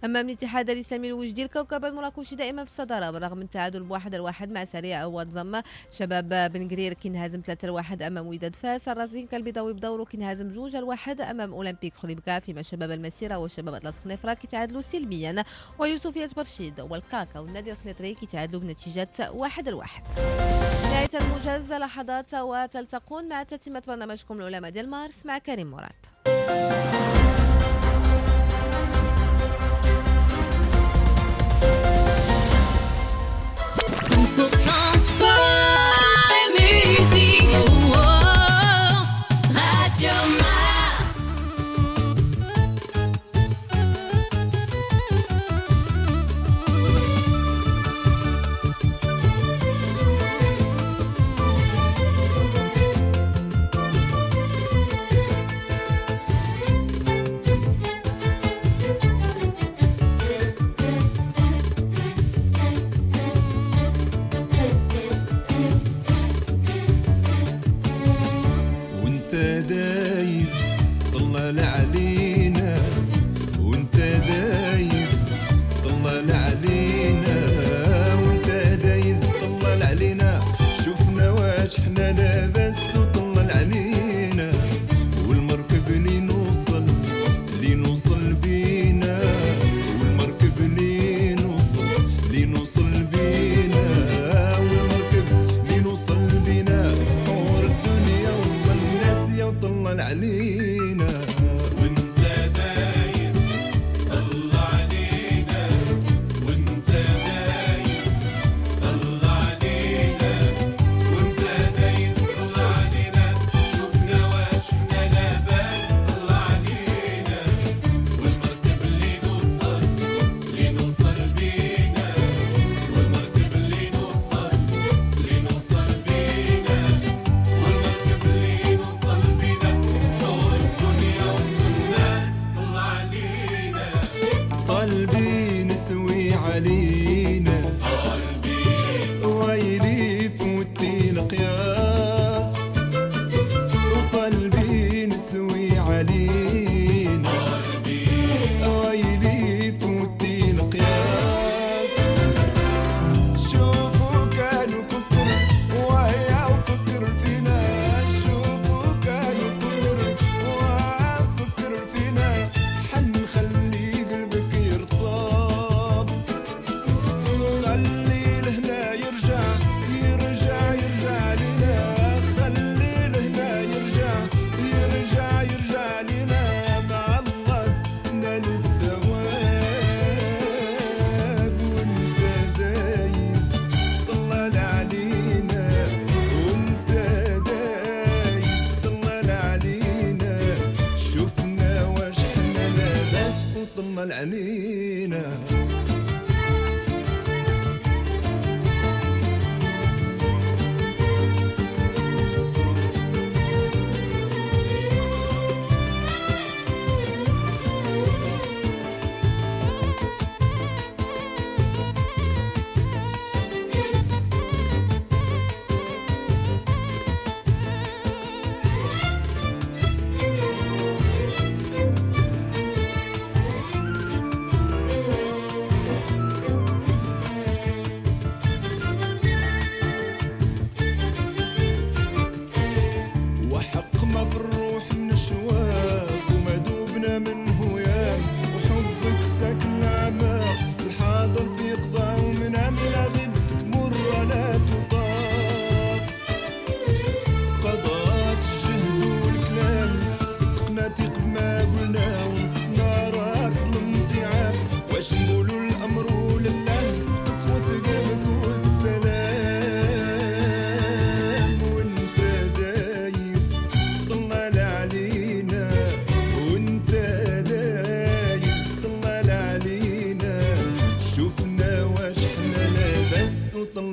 امام الاتحاد الاسلامي الوجدي. الكوكب المراكشي دائما في الصدارة بالرغم من التعادل 1-1 مع سريع وضم. شباب بن قرير كينهزم 3-1 امام وداد فاس. الرزينكا البيضاوي بدوره كينهزم 2-1 امام اولمبيك خريبكا، فيما شباب المسيرة وشباب اطلس خنيفره كيتعادلوا سلبيا، ويوسفيه برشيد والكاكا والنادي الخنيطري كيتعادلوا بنتيجة 1-1. نهاية الموجز لحظات وتلتقون مع تتمة برنامجكم العلماء ديال مارس مع كريم مراد.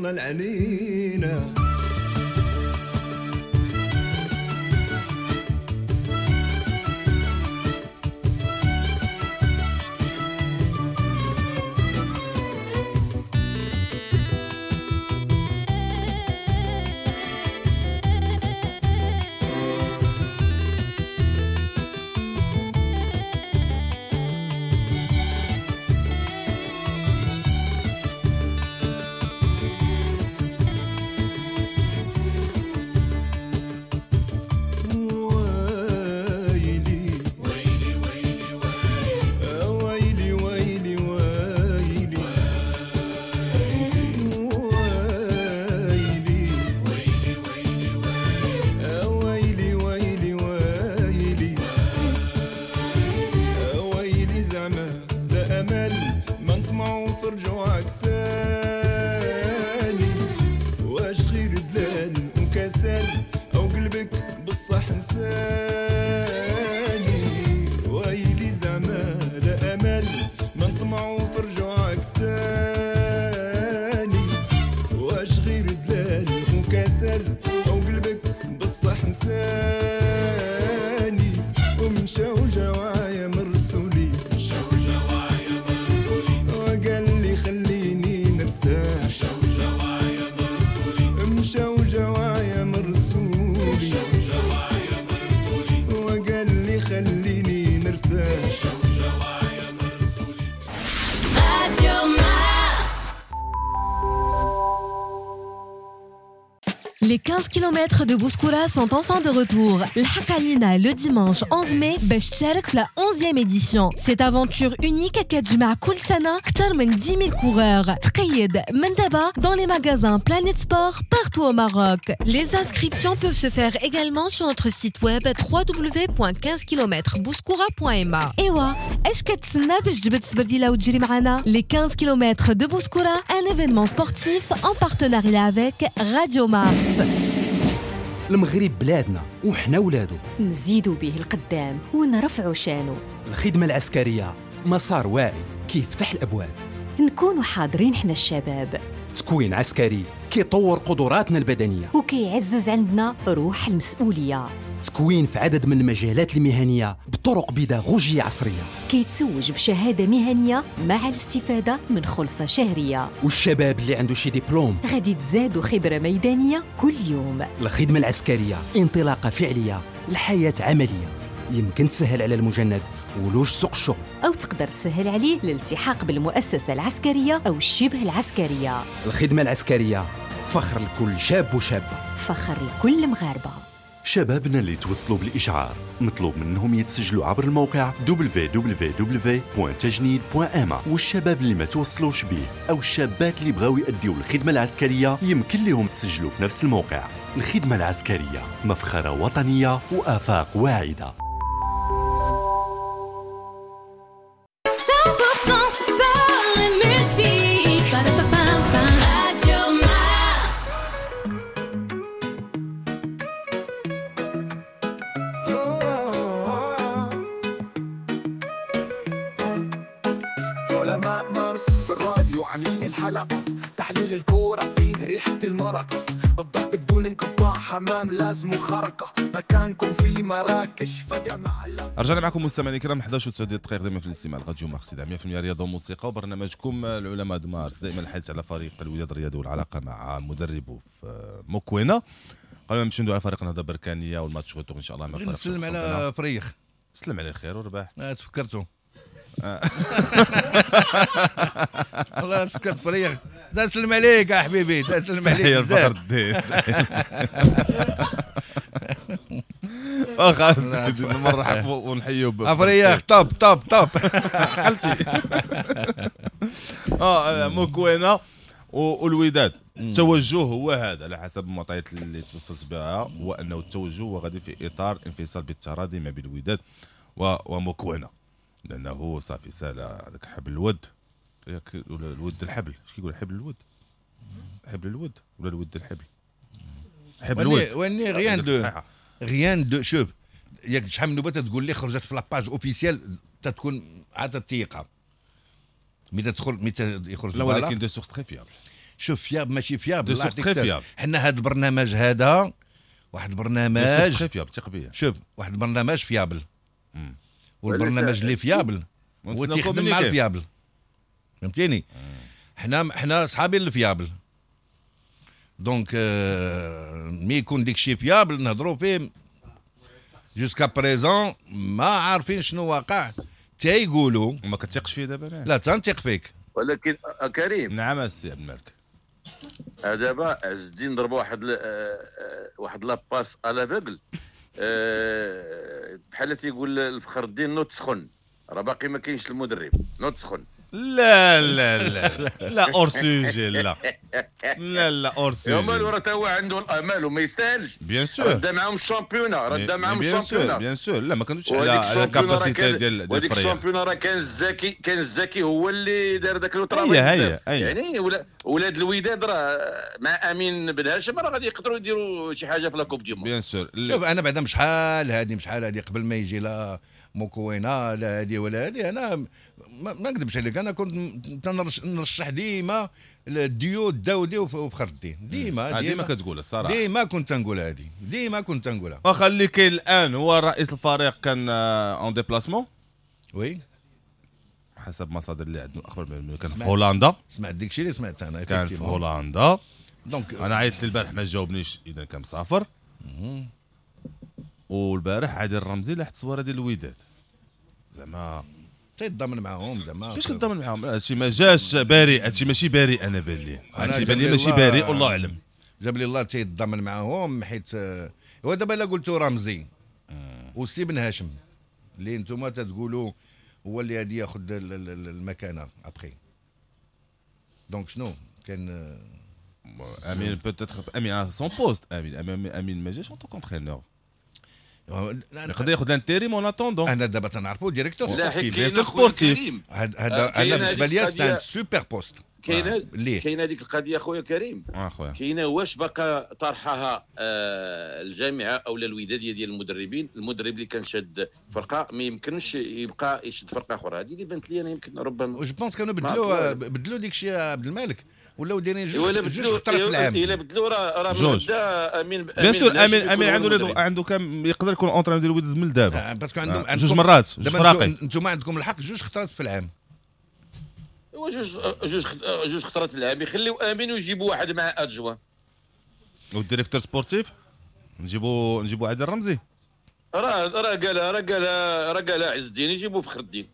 ظلل علينا. Les 15 km de Bouskoura sont enfin de retour. الحق علينا le dimanche 11 mai باش تشارك في la 11e édition. Cette aventure unique كتجمع كل سنة أكثر من 10 000 coureurs. تقيد من دابا dans les magasins Planet Sport partout au Maroc. Les inscriptions peuvent se faire également sur notre site web www.15kmbouskoura.ma. إيوا اش كتسنى باش تجبد السبرديلة وتجري معنا؟ Les 15 km de Bouskoura, un événement sportif en partenariat avec Radio Mars. المغرب بلادنا وحنا ولادو، نزيدو به القدام ونرفعو شانو. الخدمة العسكرية مسار واعي كيفتح الأبواب، نكونوا حاضرين حنا الشباب. تكوين عسكري كيطور قدراتنا البدنية وكيعزز عندنا روح المسؤولية. تكوين في عدد من المجالات المهنية بطرق بيداغوجية عصرية، كيتوج بشهادة مهنية مع الاستفادة من خلصة شهرية. والشباب اللي عنده شي دبلوم غادي تزادوا خبرة ميدانية كل يوم. الخدمة العسكرية انطلاقة فعلية لحياة عملية، يمكن تسهل على المجند ولوج سوق الشغل، أو تقدر تسهل عليه الالتحاق بالمؤسسة العسكرية أو الشبه العسكرية. الخدمة العسكرية فخر لكل شاب وشابة، فخر لكل مغاربة. شبابنا اللي توصلوا بالإشعار مطلوب منهم يتسجلوا عبر الموقع www.tajnid.ma، والشباب اللي ما توصلوش به أو الشابات اللي بغاو يأديوا الخدمة العسكرية يمكن لهم تسجلوا في نفس الموقع. الخدمة العسكرية مفخرة وطنية وآفاق واعدة. 100% sport et musique. Radio Mars. علماء مارس في الراديو عاملين الحلقة، تحليل الكورة فيه ريحة المرقة، الضرب بدون انقطاع، حمام لازم خرقة، مكانكم في مراكش فجمع. رجعنا معكم مستمعينا الكرام 11:09 دقائق دائما في الاستماع راديو مارس 100% رياضة وموسيقى، وبرنامجكم العلماء د مارس. دائما الحديث على فريق الوداد الرياضي والعلاقة مع مدربه في موكوينا. قبل ما نمشيو ندوي على فريق النهضة البركانيه وال match retour ان شاء الله مع فريق، نسلم على فريخ. سلم عليه خير ورباح. تفكرتو والله تفكرت فريخ. تسلم عليك يا حبيبي، تسلم عليك. تحية لفخر الدين. واخا سيدي نرحب ونحيو فريخ. top top top عقلتي. موكوينا والوداد التوجه هو هذا على حسب المعطيات اللي توصلت بها، هو انه التوجه هو غادي في اطار انفصال بالتراضي ما بين الوداد وموكوينا، لانه صافي سال هذاك حبل الود، ياك ولا الود الحبل، اش كيقول حبل الود، حبل الود ولا الود الحبل، حبل الود. واني rien de rien de. شوف ياك شحال من نوبه تقول لي خرجت في la page officielle تتكون عاد الثقة ملي تدخل ملي يخرج لا، ولكن des sources très fiables. شوف fiable ماشي fiable، des sources très fiables. حنا هذا البرنامج هذا واحد البرنامج très fiable، ثق بيا. شوف واحد البرنامج fiable، والبرنامج اللي fiable هو تيخدم مع ال fiable، فهمتيني؟ حنا صحابي ال fiable، donc mais يكون ديك الشيء fiable نهضروا فيه. jusqu'à présent ما عارفين شنو واقع، تيقولوا. وما كتثقش فيه دابا؟ لا تنثق فيك. ولكن كريم. نعم السي عبد الملك. دابا عز الدين ضرب واحد la passe à l'aveugle، بحال تيقول الفخر الدين نوض سخن، راه باقي ما كاينش المدرب، نوض سخن. لا لا لا لا hors sujet، لا لا لا hors sujet. مالو راه تا هو عنده الامال وما يستاهلش. bien sûr راه معاهم ال championnat، راه معاهم ال championnat. bien sûr، لا ما كندويش على ال capacité ديال الفريق. ال championnat راه كان الزكي هو اللي دار داك le travail. يعني ولاد الوداد راه مع امين بن هاشم راه غادي يقدروا يديروا شي حاجة في la coupe du monde. bien sûr. شوف انا بعدا شحال هادي قبل ما يجي لا موكوينا لا هادي ولا هادي، انا ما نكذبش عليك، انا كنت نرشح ديما الديو الداودي وفخر الدين، ديما كتقول الصراحة، ديما كنت نقول هادي، ديما كنت نقولها. واخا اللي كاين الان هو رئيس الفريق كان en déplacement، oui حسب مصادر اللي عندنا الاخبار كان في هولندا. سمعت داكشي اللي سمعت انا، كان في هولندا. donc انا عيطت البارح ما جاوبنيش، اذا كان مسافر. والبارح عادل الرمزي لاح التصويره ديال الوداد، زعما تيتضامن معاهم. زعما كيفاش كتضامن معاهم؟ هادشي ما جاش بريء، هادشي ماشي بريء. انا بان لي هادشي بان لي ماشي بريء، والله اعلم. جاب لي الله تيتضامن معاهم، حيت هو دابا الا قلتو رمزي وسي بن هاشم اللي نتوما تتقولوا هو اللي غادي ياخذ المكانة après، donc شنو كان امين peut-être امين son poste، امين ما جاش en tant qu'entraîneur، يقدر ياخذ l'intérim en attendant. انا دابا تنعرفو directeur sportif، directeur sportif. هذا انا بالنسبة لي c'est un super poste. كاينه هذيك القضية خويا كريم، كاينه واش باقا طرحها الجامعة او الوداديه ديال المدربين، المدرب اللي كان شاد فرقه ما يمكنش يبقى يشد فرقه اخرى. هذه اللي بانت لي انا يمكن ربما je pense كانوا بدلوا ديك الشيء عبد الملك، ولاو دايرين جوج خطرات في العام. الا بدلوا راه بدا امين bien sûr. امين عنده كان يقدر يكون entraîneur ديال الوداد من دابا، parce que عندهم جوج مرات جوج فراقي. انتم عندكم الحق جوج خطرات في العام، هو جوج خطرات العام يخليو امين ويجيبوا واحد مع adjoint. وال directeur sportif نجيبوا عادل الرمزي. راه قالها عز الدين يجيبوا فخر الدين.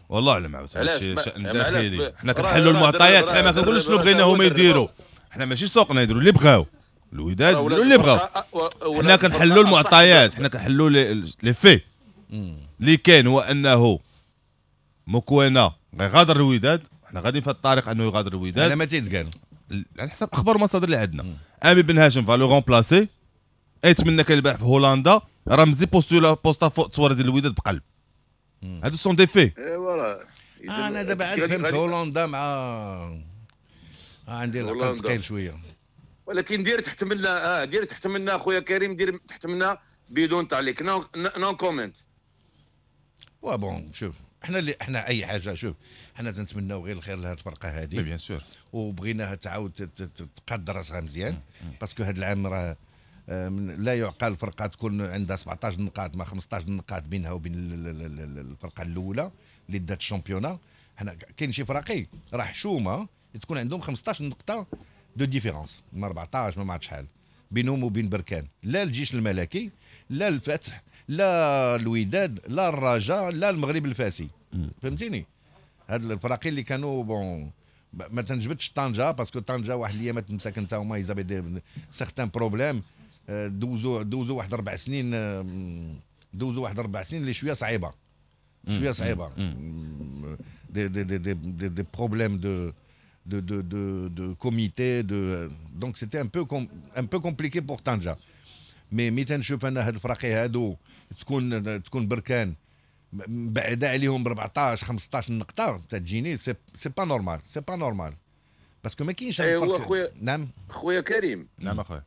والله اعلم عاوتاني هادشي شأن داخلي. حنا كنحلوا المعطيات، حنا ما كنقولوش شنو بغينا هما يديروا، حنا ماشي سوقنا يديروا اللي بغاو، الوداد يديروا اللي بغاو. حنا كنحلوا المعطيات، حنا كنحلوا les faits. اللي كاين هو انه موكوينا غيغادر الوداد، حنا غاديين في الطريق انه يغادر الوداد. انا ما تيتقال على حسب اخبار المصادر اللي عندنا. امين بن هاشم va le remplacer. اتمنى كان البارح في هولندا رمزي posta فوق التصويره ديال الوداد بقلب. هادو sont des faits. ايوا انا دابا عاد فهمت هولندا مع عندي العقل ثقيل شوية، ولكن دير تحت منا دير تحت منا خويا كريم، دير تحت منا بدون تعليق، non comment. و bon شوف احنا اللي احنا اي حاجة، شوف احنا تنتمناو غير الخير لهاد الفرقة هذه bien sûr، وبغيناها تعاود تقاد راسها مزيان، parce que هاد العام راه لا يعقل فرقه تكون عندها 17 نقاط مع 15 نقاط بينها وبين الفرقة الاولى اللي دات ال championnat. حنا كاين شي فراقي راه حشومه تكون عندهم 15 نقطة de différence، ما 14 ما عرفت شحال بينهم وبين بركان، لا الجيش الملكي لا الفتح لا الوداد لا الرجاء لا المغرب الفاسي، فهمتيني؟ هاد الفراقي اللي كانوا bon ما تنجبدش طنجه parce que طنجه واحد الايامات مساكن تا هما ils avaient des certains problèmes، دوزو واحد 4 سنين، دوزو واحد 4 سنين اللي شوية صعيبة، شوية صعيبة، des des des des des problèmes de de de de de comité de donc c'était un peu compliqué pour Tanja. Mais ملي تنشوف انا هاد الفراقي هادو تكون بركان بعدا عليهم ب 14 15 نقطة تجيني c'est pas normal، c'est pas normal parce que ما كاينش. ايوا خويا، نعم خويا كريم. نعم اخويا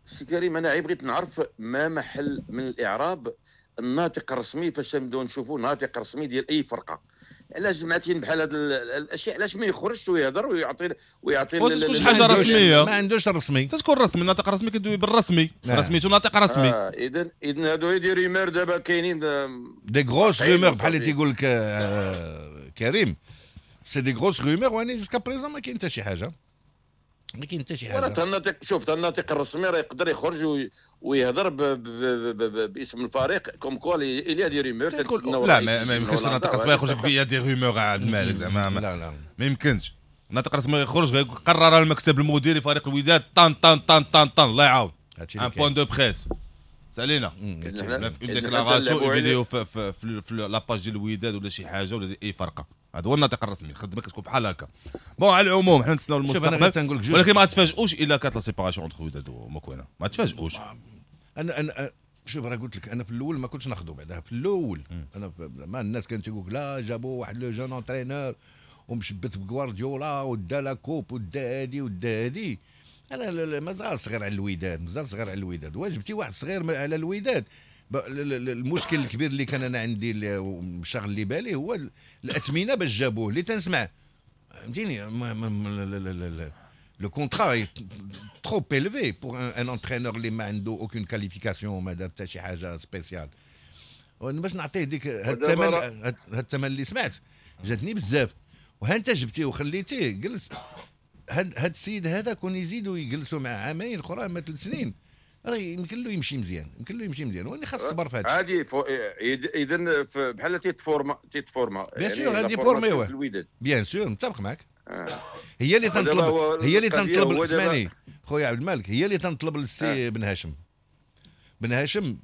سي كريم، انا بغيت نعرف ما محل من الاعراب الناطق الرسمي فاش نبداو نشوفوا ناطق رسمي ديال اي فرقه، علاش جمعتين بحال هاد الاشياء، علاش ما يخرجش ويهضر ويعطي تكون شي حاجة رسمية؟ ما عندوش الرسمي، تكون رسمي. الناطق الرسمي كدوي بالرسمي، رسميته ناطق رسمي. اذا هادو des rumeurs دابا كاينين des grosses rumeurs بحال اللي تيقول لك كريم، c'est des grosses rumeurs، وانا jusqu'à présent ما كاين حتى شي حاجة، ما كاين حتى شي حاجة. الناطق، شوف الناطق الرسمي راه يقدر يخرج ويهضر باسم الفريق comme quoi il y a des rumeurs. لا ما يمكنش الناطق الرسمي يخرج il y a des rumeurs عبد الملك، زعما لا لا ما يمكنش. الناطق الرسمي يخرج غير قرر المكتب المديري فريق الوداد طن طن طن طن طن، الله يعاون، un point de presse سالينا في une déclaration vidéo في la page ديال الوداد ولا شي حاجة ولا اي فرقه. هذا هو الناطق الرسمي، الخدمة كتكون بحال هكا. bon على العموم حنا نتسناو المستقبل، ولكن ما تفاجئوش الا كانت la séparation entre وداد ومكوينه، ما تفاجئوش. انا شوف راه قلت لك انا في الاول ما كنتش ناخذو بعدا في الاول. انا ما الناس كانت تقول لا جابوا واحد le jeune entraîneur ومشبت بغوارديولا ودا la coupe ودا هادي ودا هادي. انا مازال صغير على الوداد، مازال صغير على الوداد. واجبتي واحد صغير على الوداد. المشكل الكبير اللي كان انا عندي مشغل اللي بالي هو الاثمنه باش جابوه اللي تنسمع، فهمتيني؟ le contrat trop élevé pour un entraîneur اللي ما عنده aucune qualification، ما دار حتى شي حاجة spéciale. باش نعطيه ديك هاد الثمن، هاد الثمن اللي سمعت جاتني بزاف. وها انت جبتيه وخليتيه جلس. هاد السيد هذا كون يزيدوا يجلسوا مع عامين اخرى ما 3 سنين راه يمكن له يمشي مزيان، يمكن له يمشي مزيان. واني خاص الصبر في هذا عادي. اذا بحال تيتفورما bien sûr غادي فورميوه bien sûr، متفق معك. هي اللي تنطلب، هي اللي تنطلب، اسمعني خويا عبد الملك، هي اللي تنطلب للسي بن هاشم. بن هاشم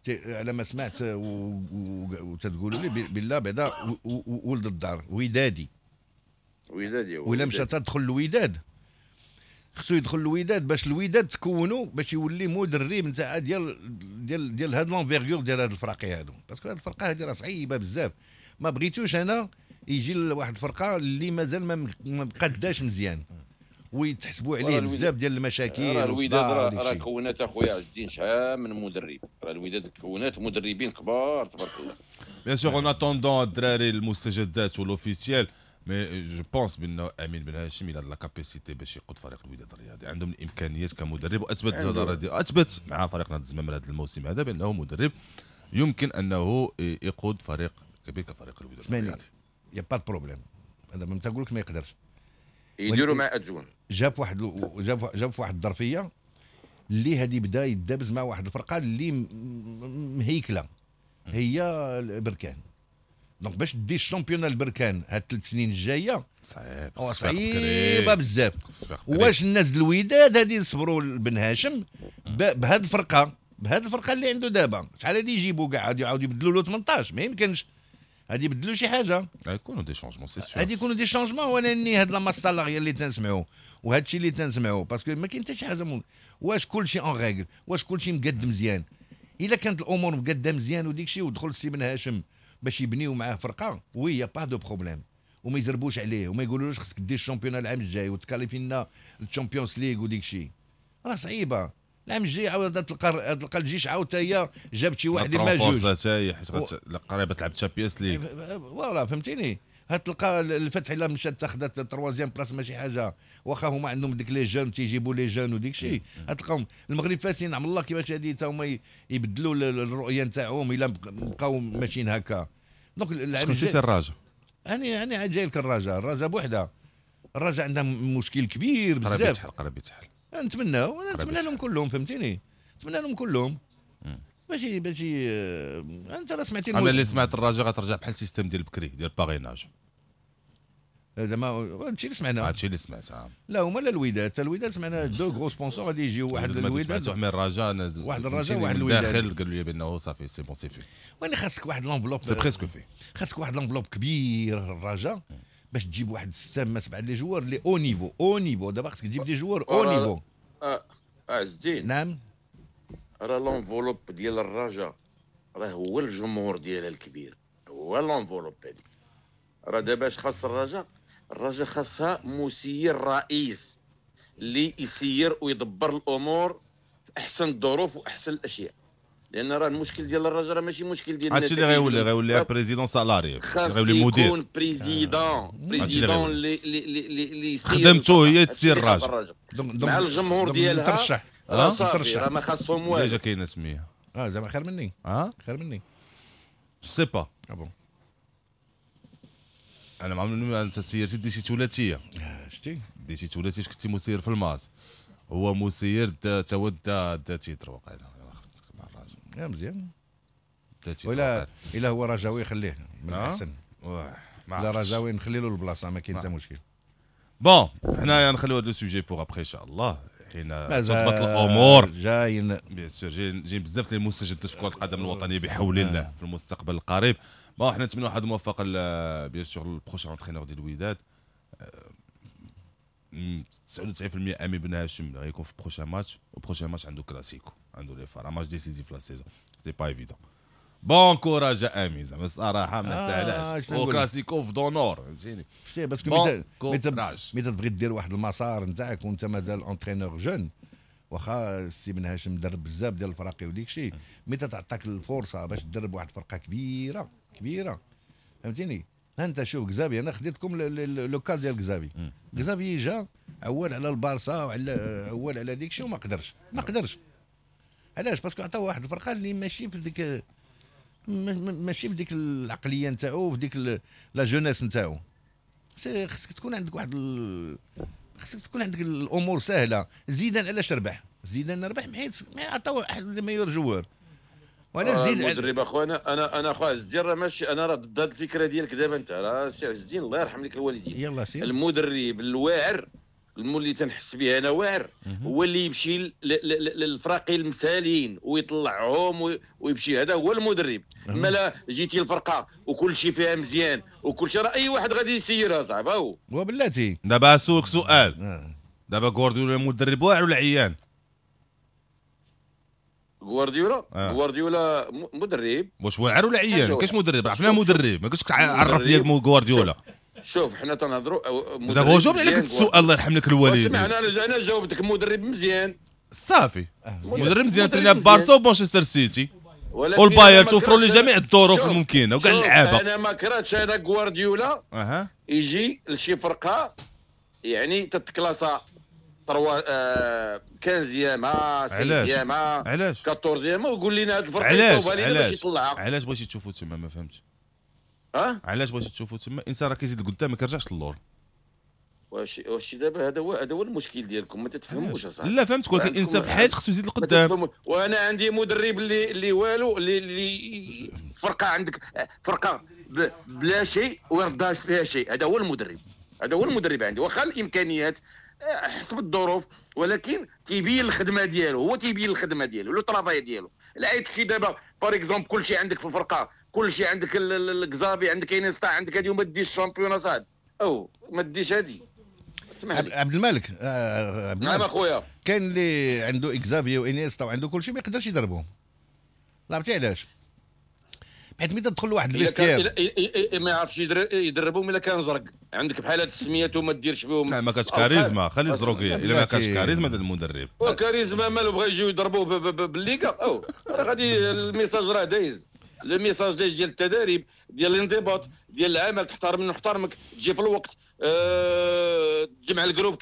على ما سمعت وتتقولوا لي بالله بعدا ولد الدار ودادي، ودادي ولا مشى تدخل الوداد، خصو يدخل الوداد باش الوداد تكونوا باش يولي مدرب نتاع ديال ديال ديال هاد l'envergure ديال هاد الفراقي هادو، parce que هاد الفرقة هادي راه صعيبة بزاف. ما بغيتوش انا يجي لواحد الفرقة اللي مازال ما مقداش مزيان ويتحسبوا عليه بزاف ديال المشاكل. راه الوداد راه كونات اخويا عز الدين شحال من مدرب، راه الوداد كونات مدربين كبار تبارك الله. bien sûr en attendant الدراري المستجدات و l'officiel، mais je pense بان امين بن هاشم il a la capacité باش يقود فريق الوداد الرياضي، عندهم الامكانيات كمدرب، واثبت اثبت مع فريق نادي الزمامرة هذا الموسم هذا بانه مدرب يمكن انه يقود فريق كبير كفريق الوداد الرياضي. y a pas problème، هذا ما تنقول لك ما يقدرش يديروا مع adjoint. جاب واحد جاب واحد الظرفية اللي هذه بدا يدابز مع واحد الفرقة اللي مهيكله هي البركان. donc باش دي ال championnat البركان هاد 3 سنين الجاية صعيب، صعيبة بزاف. واش الناس الوداد هادي يصبروا لبن هاشم بهاد الفرقة، بهاد الفرقة اللي عنده دابا؟ شحال هادي يجيبوا كاع غادي يعاودوا يبدلوا له 18، ما يمكنش غادي يبدلوا شي حاجة، غيكونوا des changements c'est sûr، غادي يكونوا des changements. وانا هاد la masse salariale اللي تنسمعوا وهاد الشيء اللي تنسمعوا parce que ما كاين حتى شي حاجة. واش كلشي en règle، واش كلشي مقد مزيان؟ الا كانت الامور مقاده مزيان وديك الشيء ودخل السي بن هاشم باش يبنيو معاه فرقه، oui y a pas de problème، وما يزربوش عليه وما يقولولوش خصك دير ال championnat العام الجاي وتكاليفي لنا ال Champions League وديك الشيء، راه صعيبة. العام الجاي عاود تلقى الجيش عاود حتى هي جابت شي واحد ما جوج حتى هي حيت قريبه تلعب Champions League voilà، فهمتيني؟ هتلقى الفتح الا مشات تاخذت troisième place ماشي حاجة، واخا هما عندهم ديك les jeunes تيجيبوا les jeunes وديك الشيء. هتلقاهم المغرب فاسي نعم الله كيفاش هادي تا هما يبدلوا الرؤية نتاعهم الا بقاو ماشيين هكا. donc العام الجاي الرجاء، انا عاد جاي لك الرجاء، الرجاء بوحده، الرجاء عندها مشكل كبير بزاف، قريب يتحل، نتمناو، انا نتمنى لهم كلهم، فهمتيني؟ نتمنى لهم كلهم باش انت راه سمعتي. انا اللي سمعت الرجاء غترجع بحال ال système ديال بكري ديال parrainage، زعما هادشي اللي سمعنا، هادشي اللي سمعت. لا هما لا الوداد، حتى الوداد سمعنا deux gros sponsors غادي يجيو، واحد الوداد سمعت من الرجاء، واحد الرجاء واحد الوداد داخل، قالوا لي بانه صافي c'est bon c'est fait. وين خاصك واحد l'enveloppe، c'est presque fait، خاصك واحد l'enveloppe كبير الرجاء باش تجيب واحد 6 ما 7 les joueurs les haut niveau، haut niveau. دابا خاصك تجيب des joueurs haut niveau. عز الدين، نعم، راه l'enveloppe ديال الرجاء راه هو الجمهور ديالها الكبير، هو l'enveloppe هذيك. راه دابا اش خاص الرجاء؟ الرجاء خاصها مسير رئيس اللي يسير ويدبر الامور في احسن الظروف واحسن الاشياء. لان راه المشكل ديال الرجاء راه ماشي مشكل ديال هادشي اللي غيولي président salarié، غيولي مدير، يكون président اللي اللي خدمته هي تسير الرجاء مع الجمهور ديالها. ترشح صافي راه ما خاصهم والو. déjà كاينه سميه زعما خير مني. خير مني sais pas. bon انا ما عمرني انت سيرتي ديتي ثلاثية. شتي ديتي ثلاثية كنتي مسير في الماس، هو مسير تا هو دا titre وقيلا مع الرجاء. يا مزيان ولا الا هو رجاوي خليه من احسن. لا رجاوي نخلي له البلاصة ما كاين حتى مشكل. bon حنايا نخليو هذا le sujet pour après ان شاء الله حين تضبط الامور. جايين bien sûr جايين بزاف ديال المستجدات في كره القدم الوطنية بحول الله في المستقبل القريب. bon حنا نتمنوا واحد الموفقه bien sûr ال prochain entraîneur ديال الوداد. 99% امين بن هاشم غيكون في prochain match، و prochain match عنده كلاسيكو، عنده les FAR match décisif في la saison، c'est pas évident. bon courage امين، زعما الصراحة ما ساهلاش، وكلاسيكو في d'honneur فهمتيني. شتي parce que ملي تبغي دير واحد المسار نتاعك وانت مازال entraîneur jeune، واخا السي بن هاشم درب بزاف ديال الفراقي وديك الشيء، ملي تعطاك الفرصة باش تدرب واحد الفرقة كبيرة كبيرة فهمتيني. ها انت شوف كزافي، انا خديتكم le cas ديال كزافي. كزافي جا اول على البارسا وعلى اول على ديك الشيء وما قدرش، ما قدرش. علاش؟ parce que عطاو واحد الفرقة اللي ماشي في ديك، ماشي بديك العقلية نتاعو، في ديك la jeunesse نتاعو. خصك تكون عندك واحد خصك تكون عندك الامور سهلة. زيدان علاش ربح؟ زيدان ربح حيت عطاو واحد meilleurs joueurs. وعلاش زيد المدرب اخويا؟ انا اخويا عز الدين راه ماشي، انا راه ضد هذه الفكرة ديالك دابا. انت راه سي عز الدين الله يرحم لك الوالدين، يلا سير. المدرب الواعر اللي تنحس به انا واعر هو اللي يمشي للفراقي المثاليين ويطلعهم ويمشي، هذا هو المدرب. اما لا جيتي الفرقة وكل شيء فيها مزيان وكل شيء، راه اي واحد غادي يسيرها صاحبي. هو وبلاتي دابا سولك سؤال، دابا غوارديولا مدرب واعر ولا عيان؟ غوارديولا غوارديولا مدرب واش واعر ولا عيان؟ ما كاينش مدرب، عرفنا مدرب، ما كاينش عرف ليا غوارديولا. شوف حنا تنهضروا دابا هو جاوبني عليك السؤال الله يرحم لك الوالدين. انا جاوبتك مدرب مزيان صافي، مدرب مزيان ترينا بارسا ومانشستر سيتي والبايرن، توفروا لي جميع الظروف الممكنة وكاع اللعابه. انا ما كرهتش هذا غوارديولا يجي لشي فرقه يعني تتكلاسا 3 15 16 14 ويقول لنا هذه الفرقة يصوبها لنا باش يطلعها. علاش بغيتي تشوفوا تما؟ ما فهمتش. علاش بغيتي تشوفوا تما؟ انسان راه كيزيد لقدام ما كيرجعش للور. واش دابا هذا هو المشكل ديالكم، ما تتفهموش اصاحبي. لا فهمتك، ولكن الانسان في الحياة خصو يزيد لقدام. وانا عندي مدرب اللي والو، اللي فرقه عندك فرقه بلا شيء ويردها فيها شيء، هذا هو المدرب، هذا هو المدرب عندي. واخا الامكانيات حسب الظروف، ولكن تيبين الخدمة ديالو، هو تيبين الخدمة ديالو، le travail ديالو. لا شي دابا par exemple كلشي عندك في الفرقة، كلشي عندك الكزافي، عندك انستا، عندك هادي، وما ديش ال championnat صاحبي، او ما ديش هادي. اسمح لي عبد الملك. عبد نعم اخويا، كاين اللي عنده اكزافي وانيستا وعنده كلشي ما يقدرش يضربهم. عرفتي علاش؟ حيت ملي تدخل لواحد ال vestiaire ما يعرفش يدربهم الا كان زرق. عندك بحال هاد السميات وما ديرش فيهم. لا ما كانش كاريزما، خلي الزروقيه الا ما كانش كاريزما ديال المدرب. وكاريزما مالو بغا يجيو يضربوه بالليغا، او راه غادي ال message راه دايز، le message دايز ديال التدريب، ديال الانضباط، ديال العمل، تحترم نحترمك، تجي في الوقت، تجمع ال groupe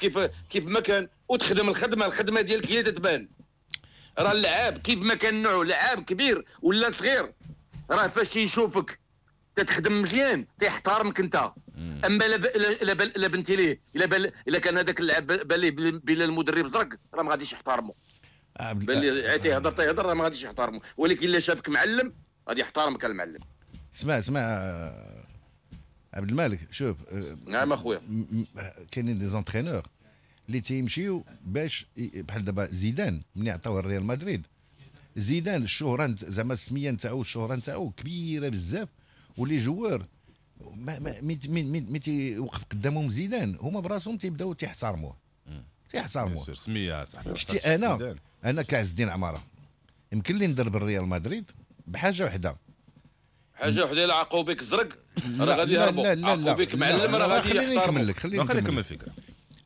كيف ما كان، وتخدم الخدمة، الخدمة ديالك هي تتبان. راه اللعاب كيف ما كان نوعه، لعاب كبير ولا صغير، راه فاش يشوفك تتخدم مزيان تيحترمك انت. اما لا بنتي ليه، الا كان هذاك اللاعب بان ليه بلا المدرب زرق، راه ما غاديش يحترمه. بان ليه تيهضر تيهضر راه ما غاديش يحترمه، ولكن الا شافك معلم غادي يحترمك المعلم. اسمع عبد الملك، شوف. نعم اخويا، كاينين des entraîneurs اللي تيمشيو باش بحال دابا زيدان ملي عطاوه الريال مدريد، زيدان الشهرة زعما السمية نتاعو الشهرة نتاعو كبيرة بزاف، و les joueurs ما مي تيوقف قدامهم زيدان هما براسهم تيبداو تيحترموه تيحترموه. سميه صاحبي. شتي انا كعز الدين عمارة يمكن لي ندرب الريال مدريد بحاجة وحده، حاجة وحده، الا عقوا بك زرق راه غادي يهربوا، عقوا بك معلم راه غادي يحترموا. خليني نكمل الفكرة.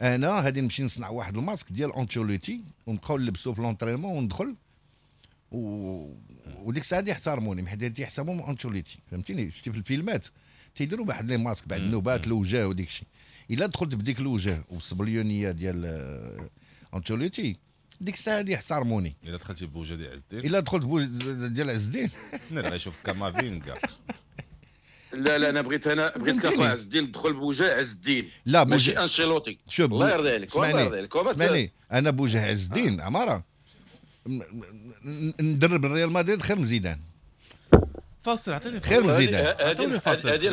انا غادي نمشي نصنع واحد الماسك ديال انشيلوتي ونبقاو نلبسو في l'entraînement وندخل وديك الساعة يحترموني حيت تيحسبهم انشيلوتي، فهمتيني؟ شتي في الفيلمات تيديروا واحد les masques بعد النوبات الوجه وديك الشيء. الا دخلت بديك الوجه والصبليونيه ديال انشيلوتي ديك الساعة يحترموني. الا دخلتي بوجه ديال عز الدين، الا دخلت بوجه ديال عز الدين نرى يشوف كامافينغا. لا لا انا بغيت اخويا عز الدين تدخل بوجه عز الدين، لا ماشي انشيلوتي. شوف الله يرضي عليك، والله يرضي عليك. اسمعني، انا بوجه عز الدين عمارة ندرب الريال مدريد خير من زيدان. فاصل، عطيني خير من زيدان، عطيني فاصل. هذه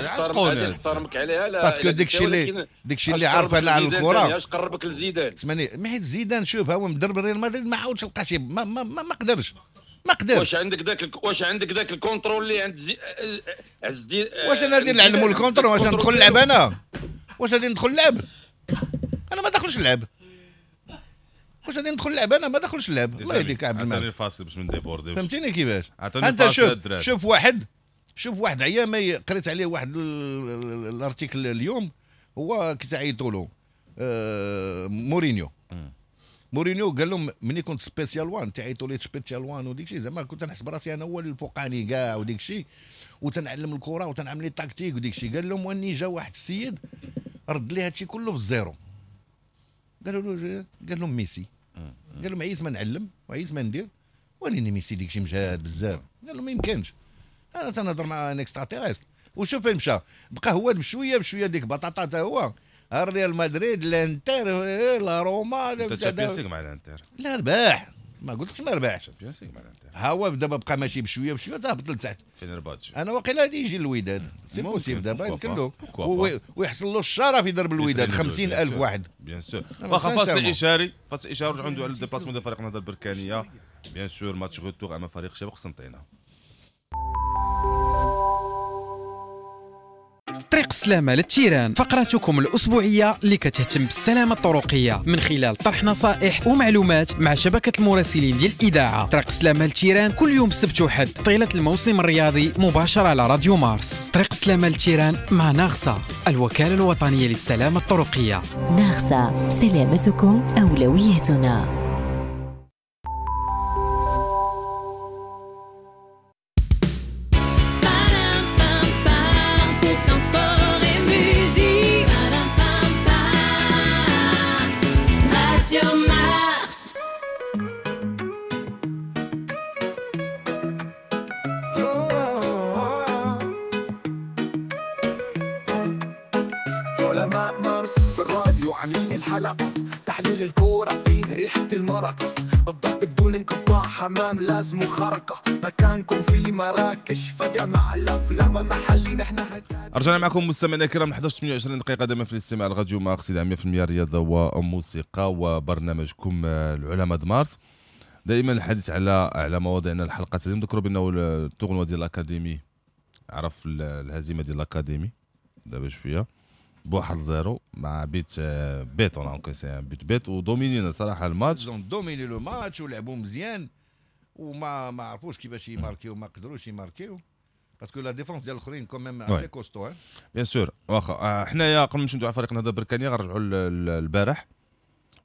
نحترمك عليها، لا parce que داكشي اللي عارف انا على الكره. اش قربك لزيدان؟ اسمعني، ما حيت زيدان شوف هو مدرب الريال مدريد ما عاودش لقى شي، ما ما ما, ما قدرش، ما قدرش. واش عندك ذاك ال contrôle اللي عند عز الدين؟ واش انا غادي نعلمو ال contrôle؟ واش ندخل نلعب انا؟ واش غادي ندخل نلعب؟ انا ما داخلش نلعب. واش غادي ندخل نلعب انا؟ ما داخلش نلعب. الله يهديك عبد الملك، عطيني الفاصل باش ما نديبورديوش. فهمتيني كيفاش؟ انت شوف واحد عيا ما قريت عليه واحد ال article اليوم، هو كتعيطوا له مورينيو. مورينيو قال لهم ملي كنت Special One تعيطوا لي Special One وديك الشيء، زعما كنت نحسب راسي انا هو الفوقاني كاع وديك الشيء، وتنعلم الكره وتنعمل les tactiques وديك الشيء. قال لهم واني جا واحد السيد رد لي هادشي كله في ال zéro. قالوا له، قال لهم ميسي. قال لهم عييت ما نعلم وعييت ما ندير، ولكن ميسي ديك الشيء مجهد بزاف. قال لهم ما يمكنش، انا تنهضر مع un extraterrestre. وشوف فين مشى، بقى هو بشوية بشوية ديك بطاطا حتى هو الريال مدريد، الانتر، لا روما. انت Champions League مع الانتر؟ لا رباح، ما قلتلكش ما ربحش. Champions League مع الانتر. ها هو دابا بقى ماشي بشوية بشوية تهبط لتحت. فينرباتش انا واقيلا غادي يجي الوداد، c'est possible دابا يمكن له ويحصل له الشرف يضرب الوداد 50,000 واحد. bien sûr. واخا فاصل اشاري، فاصل اشاري رجعوا ندوي على ال déplacement ديال فريق النهضة البركانيه. bien sûr match retour امام فريق شباب قسنطينه. طريق السلامة لل terrain، فقرتكم الأسبوعية اللي كتهتم بالسلامة الطرقية من خلال طرح نصائح ومعلومات مع شبكة المراسلين ديال الإذاعة. طريق السلامة لل terrain كل يوم سبت وحد طيلة الموسم الرياضي مباشرة على راديو مارس. طريق السلامة لل terrain مع ناغسا، الوكالة الوطنية للسلامة الطرقية. ناغسا، سلامتكم أولويتنا. تحليل الكورة فيه ريحة المرق، الضرب بدون انقطاع، حمام لازم خرقة، مكانكم في مراكش فجأة مع الأفلام محلي نحن. رجعنا معكم مستمعينا الكرام 11:28 دقيقة دائما في الاستماع لراديو مارس 100% رياضة وموسيقى وبرنامجكم العلماء د مارس. دائما الحديث على مواضيعنا الحلقة هذه. نذكروا بأنه ال tournoi ديال الأكاديمي عرف الهزيمة ديال الأكاديمي دابا شوية 1-0 مع but bête، on encaisse un but bête ودومينينا صراحة الماتش. dominé le match ولعبوا مزيان وما ما عرفوش كيفاش يماركيو، ما قدروش يماركيو parce que la défense ديال الاخرين quand même assez costaud. bien sûr. واخا حنايا قبل ما نمشيو على فريق النهضة البركانيه غنرجعوا البارح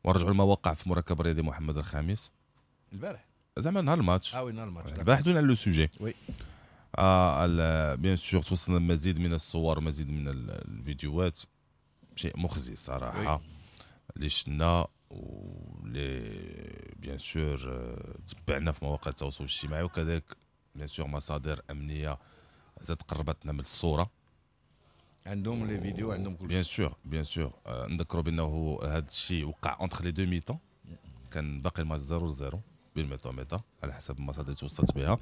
ونرجعوا لما وقع في مركب الرياضي محمد الخامس البارح، زعما نهار الماتش. oui نهار الماتش البارح دونا على le sujet. oui bien sûr توصلنا المزيد من الصور ومزيد من الفيديوهات، شيء مخزي صراحة اللي شفنا واللي bien sûr تبعنا في مواقع التواصل الاجتماعي، وكذلك bien sûr مصادر امنية زاد قربتنا من الصورة، عندهم les vidéos، عندهم كل bien sûr bien sûr. نذكروا بانه هذا الشيء وقع entre les deux mi-temps، كان باقي الماتش 0-0 بين mi-temps mi-temps على حسب المصادر اللي توصلت بها،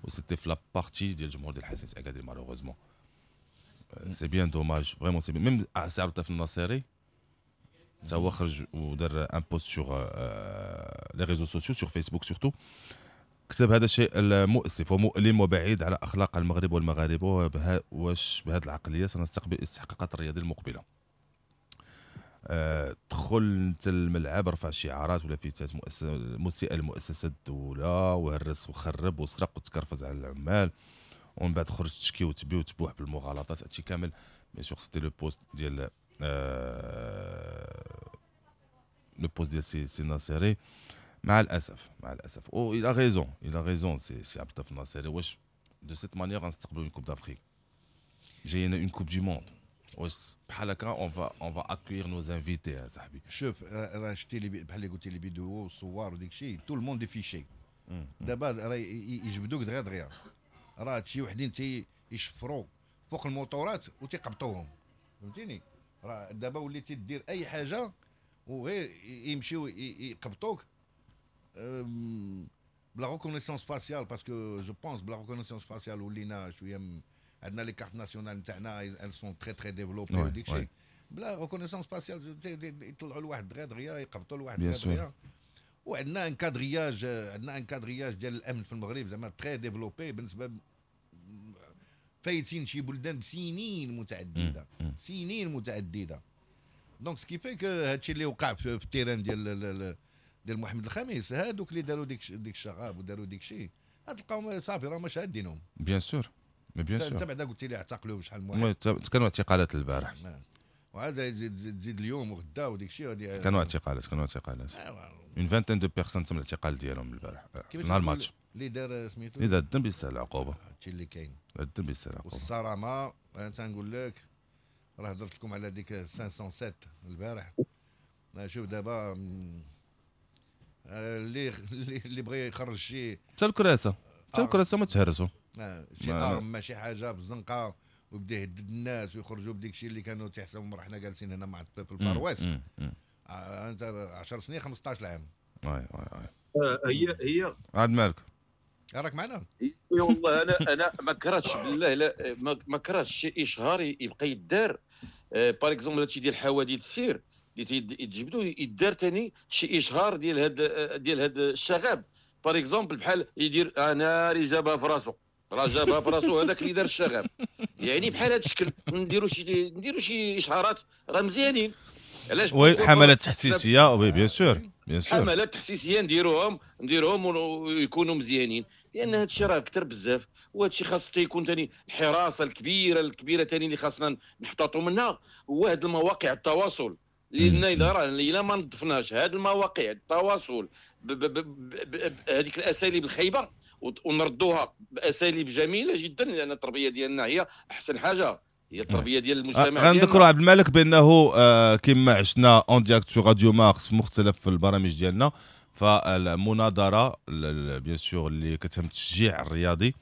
و c'était في la partie ديال الجمهور ديال حسنية اكادير. malheureusement c'est bien dommage vraiment، c'est même سي عبد اللطيف الناصري تا هو خرج ودار un post sur les réseaux sociaux، sur فيسبوك surtout، كتب هذا الشيء المؤسف ومؤلم وبعيد على اخلاق المغرب والمغاربة، واش بهذه العقلية سنستقبل استحقاقات الرياضية المقبلة. دخل انت الملعب، رفع شعارات ولا لافتات مسيئه لمؤسسة الدولة، وهرس وخرب وسرق وتكرفز على العمال، ومن بعد خرج تشكي وتبي وتبوح بالمغالطات. هادشي كامل bien sûr c'était le post ديال le post ديال سي ناصري. مع الاسف مع الاسف. او il a raison، il a raison سي عبد اللطيف الناصري. واش de cette manière غنستقبلوا une Coupe d'Afrique؟ جاينا une Coupe du monde، واش بحال هكا on va accueillir nos invités يا صاحبي؟ شوف، راه شتي لي بحال اللي قلتي les vidéos والصور وديك الشيء، tout le monde est fiché. دابا راه يجبدوك دغيا دغيا. راه شي وحدين تي يشفروا فوق الموتورات وتيقبطوهم، فهمتيني؟ راه دابا وليتي دير اي حاجة وغير يمشيو يقبطوك بلا reconnaissance faciale، parce que je pense بلا reconnaissance faciale ولينا شوية عندنا les cartes nationales نتاعنا، elles sont très très développées وديك الشيء. بلا reconnaissance faciale يطلعوا لواحد دغيا دغيا، يقبطوا لواحد دغيا دغيا. وعندنا un quadrillage، عندنا un quadrillage ديال الامن في المغرب زعما très développé، بالنسبة فايتين شي بلدان بسنين متعدده، سنين متعدده. donc ce qui fait que هادشي اللي وقع في ال terrain ديال محمد الخامس، هادوك اللي داروا ديك الشغاب وداروا ديك الشيء، تلقاهم صافي راه ما شادينهم. bien sûr، mais bien sûr. انت بعدا قلت لي اعتقلوا شحال من واحد. كانوا اعتقالات البارح. وهذا تزيد اليوم وغدا وديك الشيء. كانوا اعتقالات، une vingtaine de personnes تم الاعتقال ديالهم البارح نهار الماتش. اللي دار سميتو اللي دار الذنب يستاهل العقوبه. هادشي اللي كاين. الذنب يستاهل العقوبه. والصرامه، انا تنقول لك راه هضرت لكم على ديك 507 البارح. شوف دابا اللي بغى يخرج شي حتى الكراسه ما تهرسوا. شي arme، ماشي حاجة في الزنقه، ويبدا يهدد الناس ويخرجوا بديك الشيء اللي كانوا تيحسبوا راه حنا جالسين هنا مع في ال Far West. انت 10 سنين، 15 عام. oui oui oui. هي هي. عبد المالك. راك معنا. والله انا ما كرهتش، بالله لا ما كرهتش شي اشهار يبقى يدار، par exemple هادشي ديال حوادث السير اللي يتجبدوا، يدار ثاني شي اشهار ديال هاد الشغب، par exemple بحال يدير انا اللي جابها في راسو، راه جابها في راسو هذاك اللي دار الشغب. يعني بحال هذا الشكل نديروا شي اشهارات راه مزيانين. علاش؟ oui، حملات تحسيسيه، oui bien sûr، bien sûr. حملات تحسيسيه نديروهم ويكونوا مزيانين، لان هذا الشيء راه كثر بزاف. وهذا الشيء خاص يكون ثاني الحراسة الكبيرة الكبيرة ثاني اللي خاصنا نحتاطوا منها هو هذه المواقع التواصل، لان اذا راه الا ما نظفناش هذه المواقع التواصل بهذيك الاساليب الخايبة ونردوها باساليب جميلة جدا، لان التربية ديالنا هي احسن حاجه، هي التربية ديال المجتمع. غنذكروا عبد الملك بانه كما عشنا en direct sur راديو مارس في مختلف البرامج ديالنا، فالمناظره bien sûr اللي كتهم التشجيع الرياضي،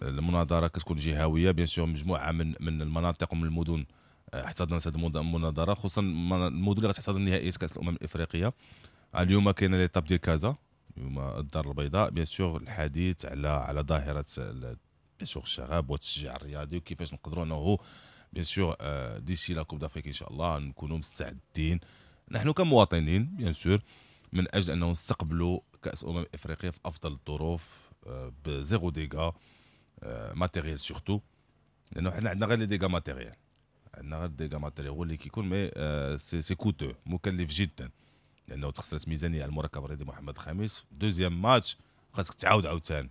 المناظرة كتكون جهويه bien sûr، مجموعة من المناطق ومن المدن احتضنت هذه المناظره، خصوصا المدن اللي غتحتضن نهائيات كاس الامم الافريقيه. اليوم كاينه l'étape ديال كازا، اليوم الدار البيضاء، bien sûr الحديث على ظاهره bien sûr الشغب والتشجيع الرياضي، وكيفاش نقدروا انه bien sûr d'ici la Coupe d'Afrique ان شاء الله نكونوا مستعدين نحن كمواطنين bien sûr من اجل انه نستقبلوا كاس امم افريقيا في افضل الظروف ب zéro dégâts matériels surtout، لانه حنا عندنا غير les dégâts matériels، عندنا غير dégâts matériels هو اللي كيكون، mais c'est coûteux، مكلف جدا، لانه تخسرت ميزانية على المركب الرياضي محمد الخامس. deuxième match خاصك تعاود عاوتاني،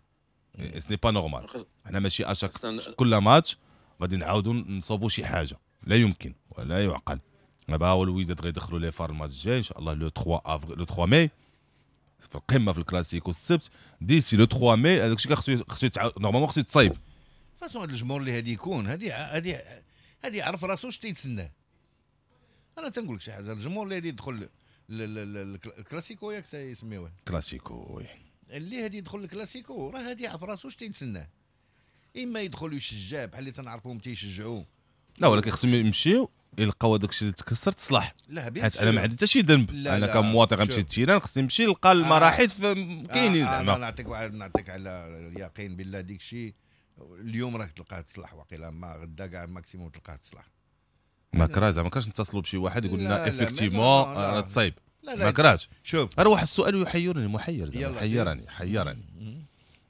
ce n'est pas normal. حنا ماشي à chaque كل ماتش غادي نعاودوا نصوبوا شي حاجه، لا يمكن ولا يعقل. دابا هو الوداد غيدخلوا les FAR الماتش الجاي ان شاء الله le 3 افريل، le 3 ماي في القمه في الكلاسيكو السبت. d'ici le 3 ماي هذاك الشيء خصو يتعاود، normalement خصو يتصايب. façon هذا الجمهور اللي هادي يكون هادي يعرف راسو اش تيتسناه. انا تنقول لك شي حاجه، الجمهور اللي هادي يدخل الكلاسيكو، ياك يسميوه؟ كلاسيكو، oui. اللي هادي يدخل الكلاسيكو راه هادي يعرف راسو اش تيتسناه، اما يدخل يشجع بحال اللي تنعرفوهم تيشجعوا. لا، ولكن خصهم يمشيو يلقاو هذاك الشيء اللي تكسر تصلح. لا bien، حيت انا ما عندي حتى شي ذنب. انا لا، كمواطن غنمشي شوف. لل terrain، خصني نمشي نلقى المراحيض كاينين زعما. انا نعطيك واحد، نعطيك على اليقين بالله، ديك الشيء اليوم راك تلقاه تصلح، وقيلا ما غدا كاع maximum تلقاه تصلح. ما كرهتش زعما، ما كرهتش نتصلوا بشي واحد يقول لنا لا، لا، effectivement لا، لا. راه تصايب. لا لا. ما كرهتش. شوف. راه واحد السؤال يحيرني، محير زعما. يلا. حيرني حيرني.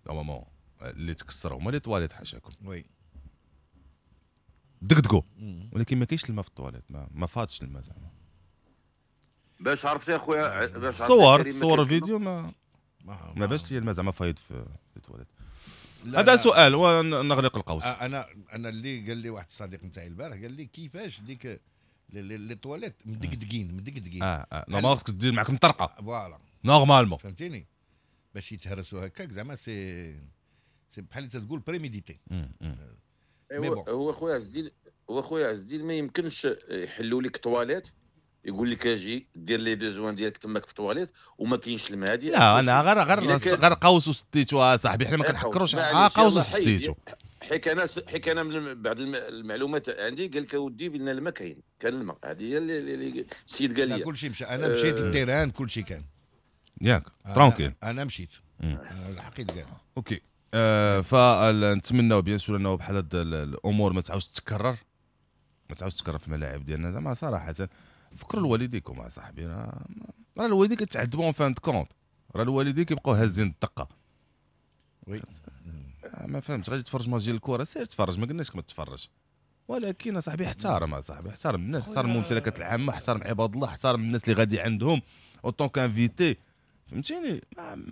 normalement اللي تكسر هما les toilettes، حاشاكم. دقدقوا، ولكن ما كاينش الماء في الطواليت، ما فاتش الماء زعما. باش عرفتي يا خويا، باش عرفتي صور كريم، ما صور كاينش فيديو، ما ما ما باش لي الماء زعما فايض في التواليت. لا، هذا لا. سؤال ونغلق القوس. انا اللي قال لي واحد الصديق نتاعي البارح، قال لي كيفاش ديك les toilettes مدقدقين مدقدقين. اه normalement خصك دير معاك مطرقه. voilà. normalement. فهمتيني؟ باش يتهرسوا هكاك زعما c'est بحال اللي تقول prémédité. هو خويا عز الدين، هو خويا عز الدين ما يمكنش يحلوا لك تواليت يقول لك اجي دير les besoins ديالك تماك في التواليت وما كاينش الماء. هذه لا انا غير قوس وسديتو صاحبي، حنا ما كنحكروش قوس وسديتو. حيت انا من بعض المعلومات عندي قال لك اودي بان الماء كاين، كان الماء. هذه هي اللي السيد قال لي. كلشي مشى، انا مشيت لل terrain كلشي كان ياك tranquille. انا مشيت الحقيقة قال OK. فنتمناو bien sûr انه بحال هاد الامور ما تعاودش تتكرر، ما تعاودش تتكرر في الملاعب ديالنا. زعما صراحة فكروا لوالديكم اصاحبي، راه الوالدين كيتعذبوا en fin de compte، راه الوالدين كيبقاو هازين الدقة. oui ما فهمتش، غادي تفرج ماتش ديال الكره سير تفرج، ما قلناش ما تفرج، ولكن اصاحبي احترم اصاحبي، احترم الناس، احترم الممتلكات العامة، احترم عباد الله، احترم الناس اللي غادي عندهم en tant qu'invité، فهمتيني؟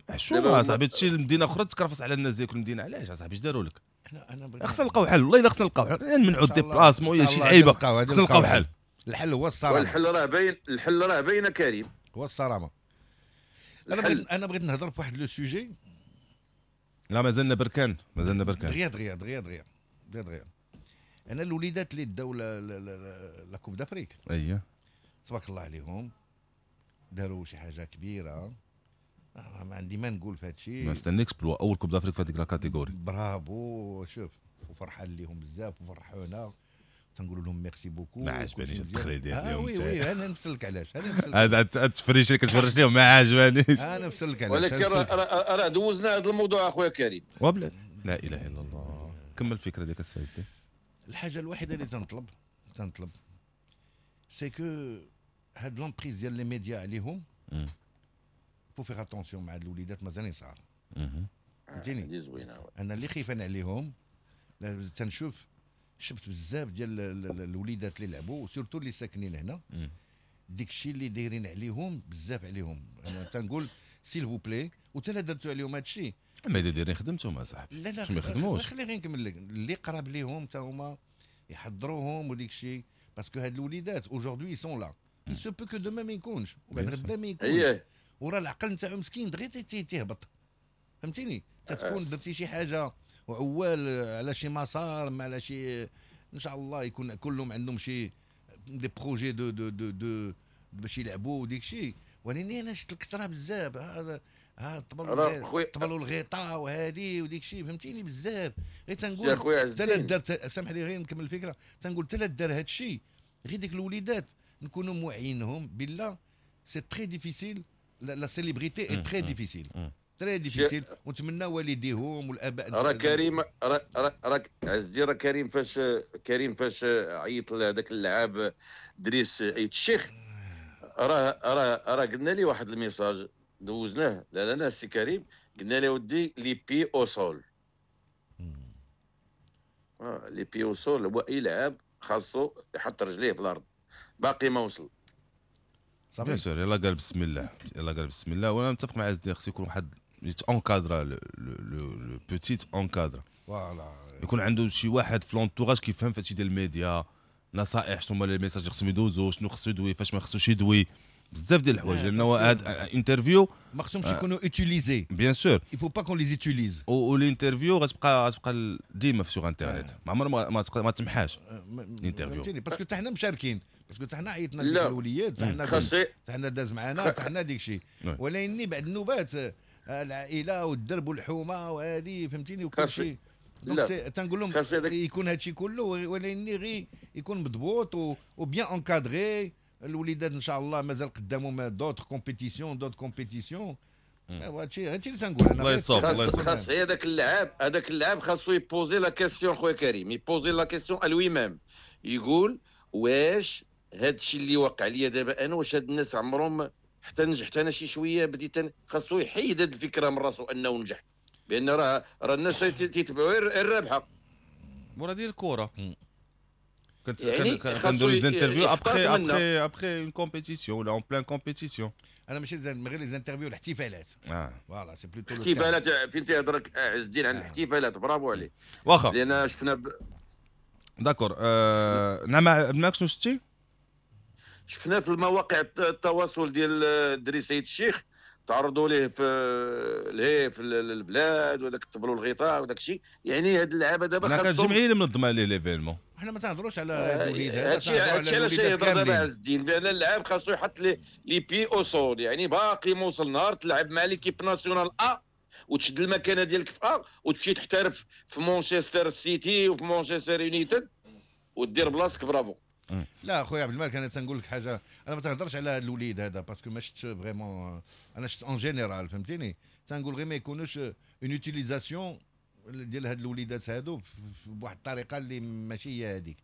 حشومه اصاحبي تمشي لمدينة اخرى تكرفس على الناس ديال كل مدينة. علاش اصاحبي اش داروا لك؟ خصنا نلقاو حل، والله الا خصنا نلقاو حل، نمنعوا ال déplacement ولا شي لعيبة، خصنا نلقاو حل. الحل هو الصرامه، والحل راه باين، الحل راه باين كريم، هو الصرامه. انا بغيت نهضر في واحد le sujet. لا مازلنا بركان، مازلنا بركان. دغيا دغيا دغيا دغيا دغيا. انا الوليدات اللي داو la Coupe d'Afrique، اييه تبارك الله عليهم، داروا شي حاجة كبيرة، ما عندي ما نقول في هذا الشيء. mais c'est un exploit، اول Coupe d'Afrique في هذيك la catégorie. برافو، شوف وفرحان ليهم بزاف وفرحونا، تنقولوا لهم merci beaucoup. ما عجبانيش التخريج ديال اليوم. oui oui انا نفسلك علاش، انا نفسلك هذا التفريش اللي كتفرج لهم ما عجبانيش، انا نفسلك علاش. ولكن راه دوزنا هذا الموضوع اخويا كريم. وبلاد لا اله الا الله. كمل الفكرة ديالك السي عز الدين. الحاجة الوحيدة اللي تنطلب c'est que هاد l'emprise ديال les médias عليهم faut faire attention مع هاد الوليدات مازالين صغار. فهمتيني؟ انا اللي خايفان عليهم، تنشوف شفت بزاف ديال الوليدات اللي لعبوا surtout اللي ساكنين هنا، ديك الشيء اللي دايرين عليهم بزاف عليهم. انا تنقول s'il vous plaît، وتا درتو عليهم هذا الشيء. اما اذا دايرين خدمتهم اصاحبي. لا لا ما يخدموش، خلي غير نكمل لك. اللي قراب ليهم تا هما يحضروهم وديك الشيء، parce que هاد الوليدات aujourd'hui sont là، il se peut que demain ما يكونش وبعد غدا ما يكونش، وراه العقل نتاعو مسكين دغيا تيهبط. فهمتيني؟ تتكون درتي شي حاجة وعوال على شي مسار، ما على شي، ان شاء الله يكون كلهم عندهم شي des projets de de de de باش يلعبوا وديك الشيء. ولكن انا شفت الكثرة بزاف، ها طبلوا الغطاء وهذه وديك الشيء، فهمتيني؟ بزاف. غير تنقول حتى دارت، سامح لي غير نكمل الفكرة، تنقول حتى دار هذا الشيء، غير ديك الوليدات نكونوا موعينهم بالله. c'est très difficile، la célébrité est très difficile، très difficile. ونتمنى والديهم والاباء. راه كريم، راه عز الدين، راه كريم فاش عيط لهذاك اللاعب دريس ايت الشيخ، راه راه راه قلنا لي واحد ال message دوزناه لا لا السي كريم، قلنا له ودي les pieds au sol. les pieds au sol هو اي لاعب خاصو يحط رجليه في الارض، باقي ما وصل. bien sûr، يلا قال بسم الله، يلا قال بسم الله. وانا متفق مع عز الدين، خص يكون واحد يت encadra le petit encadre، voilà يكون عنده شي واحد في l'entourage كيفهم في هادشي ديال الميديا، نصائح، شنو هما les messages اللي خصهم يدوزو، شنو خصو يدوي، فاش ما خصوش يدوي، بزاف ديال الحوايج. لانه هاد interview ما خصهمش يكونوا utilisés. bien sûr il faut pas qu'on les utilise. و l'interview غتبقى ديما في sur internet، ما عمر ما تمحاش l'interview. فهمتيني؟ parce que حتى حنا مشاركين، parce que حتى حنا عيطنا لديك الوليات، حتى حنا داز معنا، حتى حنا ديك الشيء. ولكن بعد النوبات العائلة والدرب والحومه وهذه، فهمتيني؟ وكل شيء. donc تنقول لهم يكون هادشي كله، ولكن غير يكون مضبوط و bien encadré. الوليدات ان شاء الله مازال قدامهم d'autres compétitions، d'autres compétitions. هادشي اللي تنقول انا. الله يصوب، الله يصوب. خاص هذاك اللاعب، هذاك اللاعب خاصو ي poser la question خويا كريم، ي poser la question à lui-même، يقول واش هادشي اللي وقع ليا دابا انا، واش هاد الناس عمرهم حتى نجحت انا شي شوية بديت، خاصو يحيد هاد الفكرة من راسو انه نجح، بان راه الناس تيتبعوا غير الرابحة. مورا ديال الكره يعني كنديروا les interviews après après après une compétition ولا en pleine compétition. انا ماشي غير les interviews، الاحتفالات. voilà c'est plutôt الاحتفالات. فين تيهضر عز الدين على الاحتفالات؟ برافو عليه. واخا لان شفنا d'accord. نعم معاك شنو شتي؟ شفنا في المواقع التواصل ديال دريس سيد الشيخ تعرضوا ليه في ليه في البلاد وداك الطبل والغطاء وداك الشيء. يعني هاد اللعابه دابا خاصهم الجمعية اللي منظمة ليه l'événement. حنا ما تنهضروش على هاد الوليد هذا، هادشي علاش يهضر دابا عز الدين بان اللاعب خاصو يحط les pieds au sol. يعني باقي ما وصل نهار تلعب مع l'équipe nationale A وتشد المكانة ديالك في A وتمشي تحترف في مانشستر سيتي وفي مانشستر يونايتد ودير بلاصتك. برافو. لا خويا عبد الملك، انا تنقول لك حاجة، انا ما تنهضرش على هذا الوليد هذا parce que ما شفت vraiment، انا شفت en général فهمتيني. تنقول غير ما يكونوش une utilisation ديال هاد الوليدات هادو بواحد الطريقة اللي ماشي هي هذيك.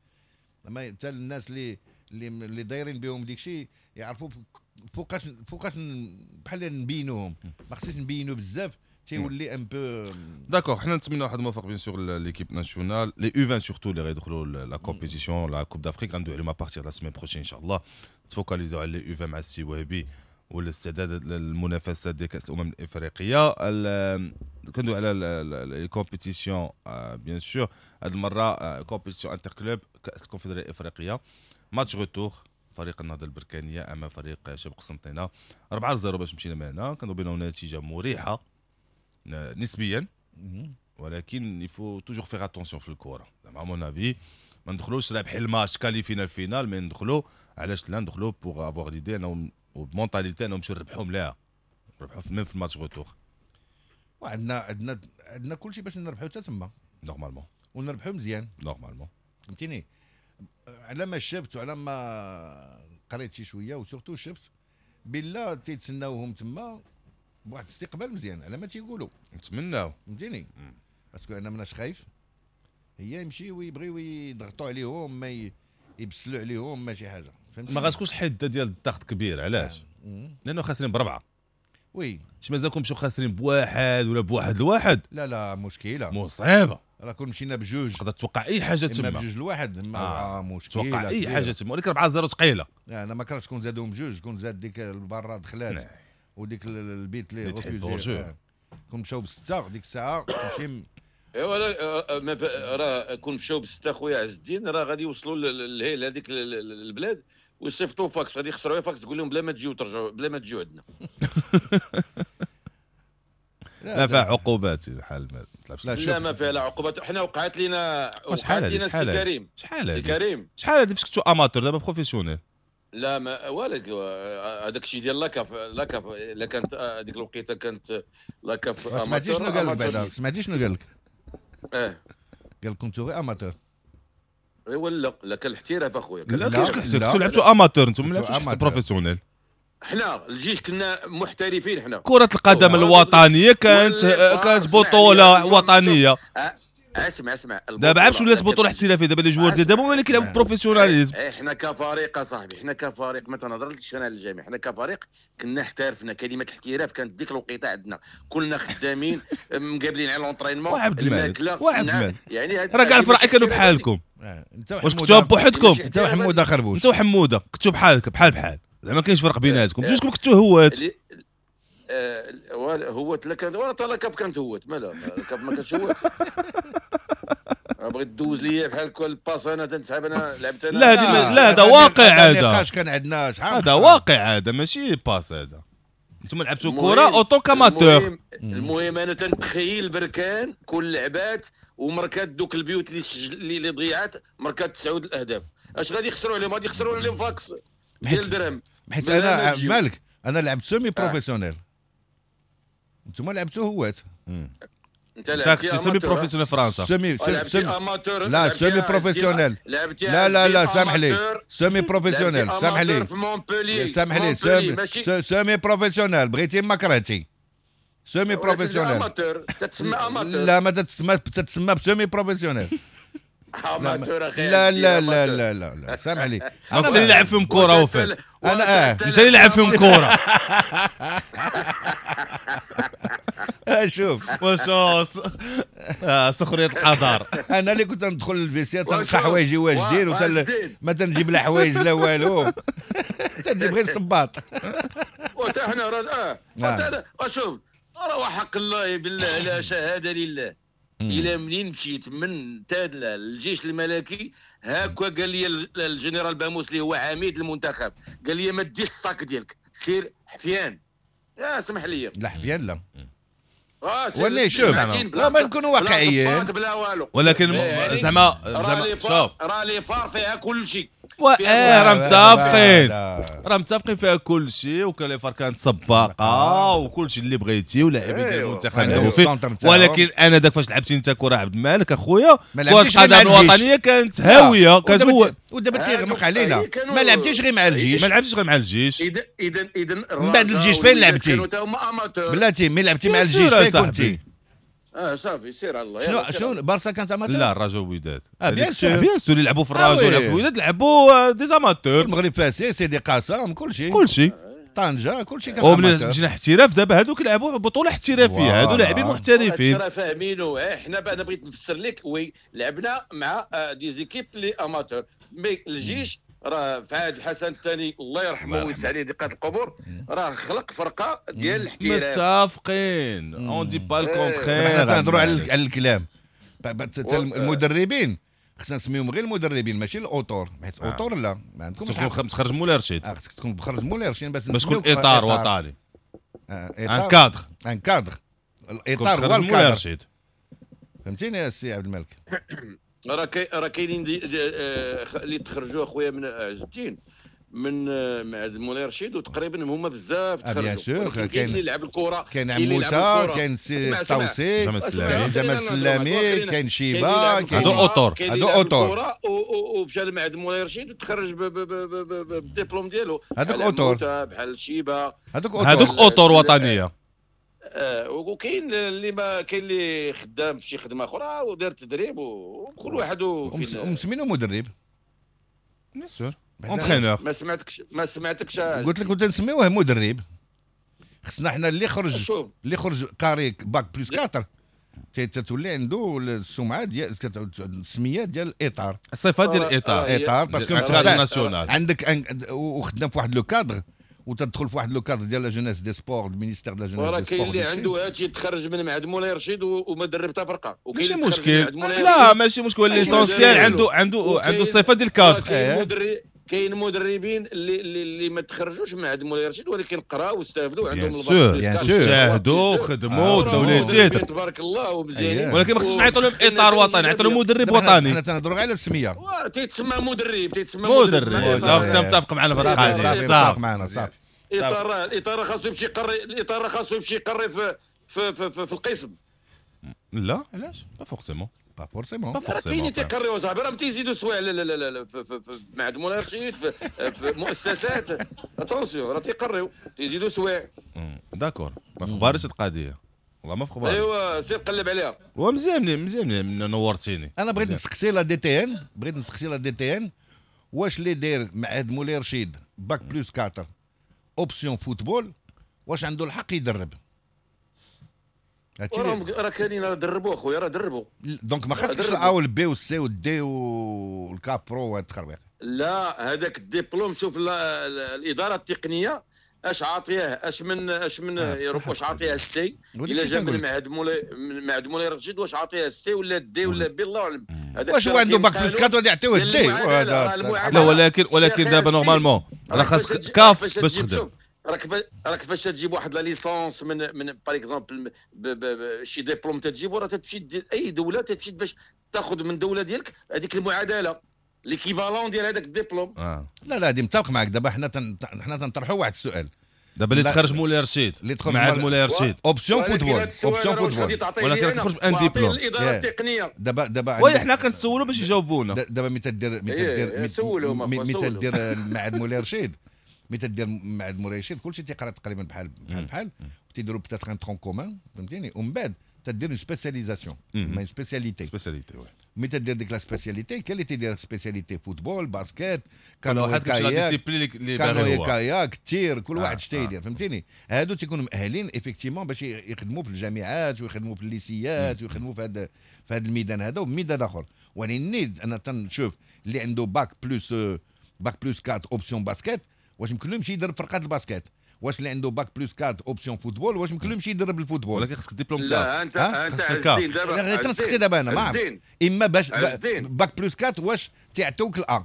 ما حتى الناس اللي اللي دايرين بهم ديك الشيء يعرفوا فوقاش بحال نبينوهم، ما خصناش نبينو بزاف تيولي un peu. d'accord، حنا نتمنى واحد الموفق bien sûr l'équipe nationale les U20 surtout اللي غيدخلوا la compétition la Coupe d'Afrique غندوي عليهم à partir la semaine prochaine ان شاء الله. تفوكاليزيو على les U20 مع السي وهبي والاستعداد للمنافسات ديال كاس الامم الافريقية. كندوي على les compétitions bien sûr، هاد المرة compétition interclubs كاس الكونفدراليه الافريقية، match retour فريق النهضة البركانيه امام فريق شباب قسنطينه 4-0 باش مشينا من هنا. كانوا بينهم نتيجة مريحه نسبيا، ولكن il faut toujours faire attention في الكره. زعما à mon avis ما ندخلوش رابحين الماتش qualifiés ال finale، mais ندخلو علاش لا، ندخلو pour avoir l'idée انهم وب mentalité انهم نمشيو نربحوا ملاها، نربحوا même في ال match retour. وعندنا عندنا عندنا كلشي باش نربحوا حتى تما normalement، ونربحوا مزيان normalement فهمتيني. على ما شفت وعلى ما قريت شي شوية و surtout شفت بالله تيتسناوهم تما بواحد الاستقبال مزيان على ما تيقولوا، نتمناو فهمتيني. parce que انا مناش خايف هي يمشيو ويبغيو يضغطوا عليهم، ما يبسلوا عليهم ما شي حاجة فهمتي. ما غاتكونش الحدة ديال الضغط كبير. علاش؟ لانه خاسرين بربعه. oui اش مازالكم مشيو خاسرين بواحد ولا بواحد لواحد؟ لا لا مشكلة مصيبة. راه كون مشينا بجوج تقدر توقع اي حاجة تما، بجوج لواحد ما مشكلة، توقع اي حاجة تما، ولكن 4-0 ثقيلة. انا ما كرهتش كون زادوهم بجوج، كون زاد ديك البرة دخلات وديك البيت اللي refusé، كون مشاو بسته ديك الساعة تمشي. ايوا راه كون مشاو بسته خويا عز الدين راه غادي يوصلوا لهذيك البلاد ويصيفطوا فاكس، غادي يخسروا فاكس تقول لهم بلا ما تجيو ترجعوا، بلا ما تجيو عندنا. لا فيها عقوبات الحال ما تلعبش. لا ما فيها لا عقوبات. حنا وقعت لنا سي كريم، شحال كريم شحال هذه فاش كنتو amateur دابا professionnel؟ لا ما والد هذاك الشيء ديال la CAF، la CAF لا كانت هذيك الوقيته كانت la CAF amateur. سمعتي شنو قال لك بعدا؟ سمعتي شنو قال لك؟ قال لك كنتو غير amateur. ايوا لا لا كان الاحتراف اخويا. لا كيفاش كنتو لعبتو amateur انتم، ما لعبتوش حتى professionnel. حنا الجيش كنا محترفين. حنا كرة القدم الوطنية كانت بطولة وطنية. اسمع اسمع، دابا عرفتش ولات بطولة احترافية دابا les joueurs ديال دابا هما اللي كيلعبوا professionnalisme. حنا كفريق اصاحبي، حنا كفريق ما تنهضرش انا على الجميع، حنا كفريق كنا احترفنا. كلمة الاحتراف كانت ديك الوقيته عندنا، كنا خدامين مقابلين على l'entraînement الماكلة، يعني راه كاع الفرق كانوا بحالكم. واش كنتوا بوحدكم؟ انت وحموده خربوش، انت وحموده كنتوا بحالك بحال بحال، زعما ما كاينش فرق بيناتكم. جوجكم كنتوا هوات. هوات لا كانت ولا la CAF كانت هوات، مالها la CAF ما كانتش هوات. بغيت دوز ليا بحال كل passe انا تنسحب انا لعبت انا. لا هذه لا هذا واقع، هذا كان عندنا شحال هذا واقع، هذا ماشي passe. هذا انتم لعبتوا كره en tant qu'amateur. المهم انا تنتخيل بركان كل لعبات ومركات دوك البيوت اللي ضيعات، مركات 9 الاهداف. اش غادي يخسروا عليهم؟ غادي يخسروا عليهم فاكس ديال درهم. حيت انا مالك انا لعبت semi-professionnel، انتم لعبتوا هوات. انت لعبتي semi-professionnel فرنسا. semi amateur. لا semi-professionnel. لا لا لا سامح لي، semi-professionnel سامح لي، سامح لي، semi-professionnel بغيتي ما كرهتي. semi-professionnel amateur تتسمى amateur. لا ما تتسمى، تتسمى ب semi-professionnel. amateur اخي. لا لا لا لا لا لا سامح لي، انت اللي لعب فيهم كره وفات. انا انت اللي لعب فيهم كره. شوف واش سخرية القدر. انا اللي كنت ندخل لل vestiaire تلقى حوايجي واجدين، ما تنجيب لا حوايج لا والو، تنجيب غير الصباط. وتا حنا راه شوف راه حق الله بالله لا شهادة لله، الى منين مشيت من تادلا للجيش الملكي هاكا قال لي الجنرال باموس اللي هو عميد المنتخب، قال لي ما ديش ال sac ديالك سير حفيان. يا سمح لي لا حفيان لا ولا شوف لا ما نكونوا واقعيين بلا والو، ولكن زعما شوف راه les FAR فيها كل شيء. راه متفقين، راه متفقين فيها كل شيء، وكان les FAR كانت سباقه وكل شيء اللي بغيتي ولاعبين ديال المنتخب لعبوا فيه، ولكن انا داك فاش لعبتي انت كره عبد المالك اخويا، كره القدم الوطنية كانت هاوية، كانت هو ودابا تيغمق علينا، ما لعبتيش غير مع الجيش، ما لعبتيش غير مع الجيش. اذا من بعد الجيش فين لعبتي؟ بلاتي ملي لعبتي مع الجيش فين كنتي؟ صافي سير على الله. شنو بارسا كانت amateur؟ لا الرجاء والوداد. bien sûr bien sûr اللي لعبوا في الرجاء ولا في الوداد لعبوا des amateurs. المغرب فاسي سيدي قاسم كل شيء كل شيء طنجه كل شيء كان. ومن مشينا احتراف دابا هذوك لعبوا بطوله احترافية، هادو لاعبين محترفين. راه فاهمينو. حنا انا بغيت نفسر لك، oui لعبنا مع des équipes les amateurs، mais الجيش راه في عهد الحسن الثاني الله يرحمه ويوسع عليه دقات القبور، راه خلق فرقه ديال الاحتراف. متفقين on dit pas le contraire. حنا تنهضروا على الكلام. المدربين خصنا نسميهم غير المدربين ماشي الاوتور، حيت auteur لا ما عندكمش. خصك تخرج مولاي رشيد، خصك تكون تخرج مولاي رشيد باش تكون اطار وطني، un cadre، un cadre، الاطار هو مولاي رشيد. فهمتيني يا سي عبد الملك؟ راه كاينين اللي تخرجوا اخويا من عز الدين من مع مولاي رشيد، وتقريبا هما بزاف تخرجوا. كاين اللي لعب الكره، كاين عموتة، كاين سي الطوسي، جمال السلامي، كاين شيبة، هادو auteurs، هادو auteurs ومشى لمعهد مولاي رشيد وتخرج بالدبلوم ديالو. هادوك auteurs بحال شيبة، هادوك auteurs وطنية. وكاين اللي ما كاين اللي خدام في شي خدمة اخرى ودار تدريب، وكل واحد ومسمينو مدرب. bien sûr entraîneur. ما سمعتكش قلت لك كنت نسميوه مدرب. خصنا حنا اللي خرج اللي خرج قاري bac plus 4 تتولي عنده السمعة ديال السمية ديال الاطار، الصفة ديال الاطار، اطار parce que cadre national عندك وخدام في واحد le cadre، وتدخل في واحد le cadre ديال la jeunesse des sports، ال ministère de la jeunesse des sports. كاين اللي عنده هادشي تخرج من معهد مولاي رشيد وما درب حتى فرقه، ماشي مشكل. لا ماشي مشكل، l'essentiel عنده الصفة ديال الكادر. كاين مدربين اللي ما تخرجوش من عند مولاي رشيد، ولكن قراو واستافدوا عندهم الباك، شاهدوا خدموا دولتي تبارك الله ومزيانين، ولكن ما خصناش نعيطوا لهم اطار وطني، نعيطوا لهم مدرب وطني. حنا تنهضروا غير على السمية، تيتسمى مدرب، تيتسمى مدرب. donc متفق معنا في هذه القضية، صافي معنا صافي. الاطار خاصو يمشي يقري، الاطار خاصو يمشي يقري في في في, في القسم. لا علاش؟ pas forcément، pas forcément. راه كاينين تيقريو صاحبي، راه تيزيدوا سوايع لا لا لا في معهد مولاي رشيد، في مؤسسات، attention راه تيقريو تيزيدوا سوايع. d'accord، ما في خباريش القضية، والله ما في خباري. ايوا سير قلب عليها. ومزيان مزيان نورتيني. انا بغيت نسقسي la DTN، بغيت نسقسي la DTN واش اللي داير معهد مولاي رشيد bac plus 4 option football واش عنده الحق يدرب؟ راه كاينين دربوا اخويا، راه دربوا. donc ما خاصكش الا والبي والسي والدي والكابرو وهاد التخربيق. لا هذاك الدبلوم شوف الادارة التقنية اش عاطيه، اش من يروح واش عاطيه ال C الا جا من معهد مولاي، من معهد مولاي رشيد واش عاطيه ال C ولا D ولا B، الله اعلم. واش هو عنده bac plus 4 غادي يعطيوه ال D؟ لا ولكن دابا normalement راه خاصك CAF باش تخدم. راك فاش تجيب واحد la licence من par exemple شي ديبلوم تجيبو، راه تمشي اي دولة تمشي باش تاخذ من دولة ديالك هذيك المعادلة l'équivalent ديال هذاك الدبلوم. لا لا هذه متفق معك. دابا حنا تنطرحوا واحد السؤال دابا اللي تخرج مولاي رشيد، معهد مولاي رشيد option football، option football، ولكن تخرج ب un diplôme الادارة التقنية. دابا oui حنا كنسولوا باش يجاوبونا. دابا ملي تدير ملي تدير معهد مولاي رشيد، ملي تدير معهد مولاي رشيد كلشي تيقرا تقريبا بحال بحال بحال، وتيديروا peut-être un tronc commun، فهمتيني؟ ومن بعد تدير une spécialisation، ما spécialité، spécialité oui. ملي تدير ديك la spécialité، كاين اللي تيدير spécialité football، basket، canoë kayak، kayak، tir، كل واحد اش تيدير، فهمتيني؟ هادو تيكونوا مؤهلين effectivement باش يخدموا في الجامعات ويخدموا في الليسيات ويخدموا في هذا في هذا الميدان هذا وميدان اخر. ولكن انا تنشوف اللي عنده bac plus 4 option basket واش يمكن له يمشي يدرب فرقات ال basket؟ واش اللي عنده bac plus 4 option football واش يمكن له يمشي يدرب ال football؟ ولكن خصك ديبلوم CAF. لا انت عزين دابا، غير تنسقسي دابا انا ما عرفت. اما باش bac plus 4 واش تيعطوك ال A،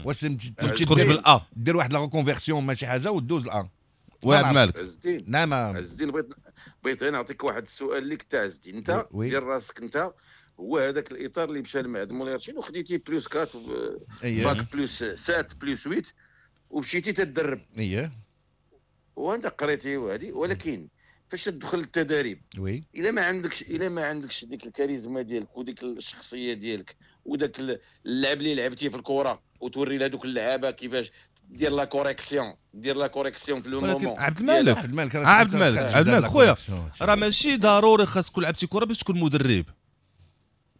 واش تخرج بال A، دير واحد la reconversion ماشي حاجة ودوز ال A. oui عبد المالك. عز الدين. نعم عز الدين، بغيت غير نعطيك واحد السؤال ليك تاع عز الدين. انت دير راسك انت هو هذاك الاطار اللي مشى لمعهد مولاي رشيد وخديتي plus 4 bac plus 7 plus 8 ومشيتي تدرب. اييه وانت قريتي وهذه، ولكن فاش تدخل التدريب oui الا ما عندكش ديك الكاريزما ديالك وديك الشخصية ديالك وداك اللعب اللي لعبتي في الكره وتوري لهذوك اللعابه كيفاش دير la correction، دير la correction في le moment. عبد المالك عبد المالك خويا، راه ماشي ضروري خاص تكون لعبتي كره باش تكون مدرب،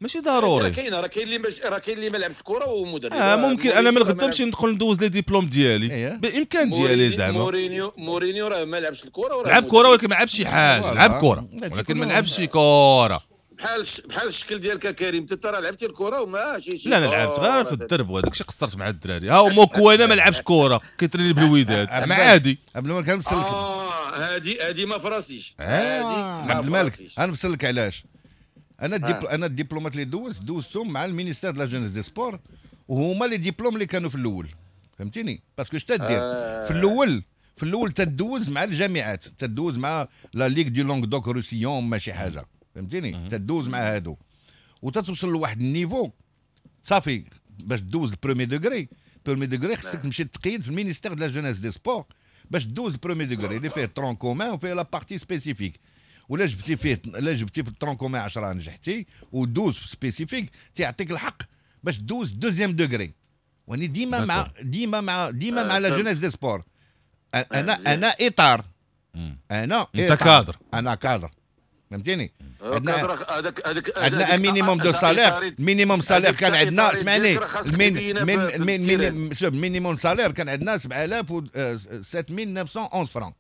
ماشي ضروري. راه كاين اللي ما لعبش الكره ومدرب. ممكن انا من غدا نمشي ندخل ندوز les diplômes ديالي بامكان ديالي زعما. مورينيو راه ما لعبش الكره وراه لعب كره ولكن ما لعبش شي حاجة، لعب كره ولكن ما لعبش شي كره. بحال الشكل ديالك كريم، انت راه لعبتي الكره وما شي. لا انا لعبت غير في الدرب وهذاك الشيء قصرت مع الدراري. ها موكوانا ما لعبش كره كيتريني بالوداد ما عادي. عبد الملك انا مسلك هادي ما فراسيش. هادي عبد الملك انا مسلك علاش؟ انا الدبلومات اللي دوزتهم مع ال ministère de la jeunesse des sports، وهما les diplômes اللي كانوا في الاول، فهمتيني؟ parce que اش تدير في الاول تدوز مع الجامعات، تدوز مع la ligue du Languedoc-Roussillon ماشي حاجة، فهمتيني؟ تدوز مع هادو وتتوصل لواحد ال niveau صافي باش دوز ال premier degré. premier degré خصك تمشي تقيد في ال ministère de la jeunesse des sports باش دوز ال premier degré اللي فيه tronc commun وفيه la partie spécifique. ولا جبتي فيه، لا جبتي في ال tronc commun 10 نجحتي ودوز في spécifique تيعطيك الحق باش دوز deuxième degré. واني ديما مع ديما مع ديما مع la jeunesse des sports. انا اطار، انا انت كادر، انا كادر، فهمتيني؟ عندنا minimum de salaire، minimum salaire كان عندنا، اسمعني، min minimum salaire كان عندنا 7911 فرانك،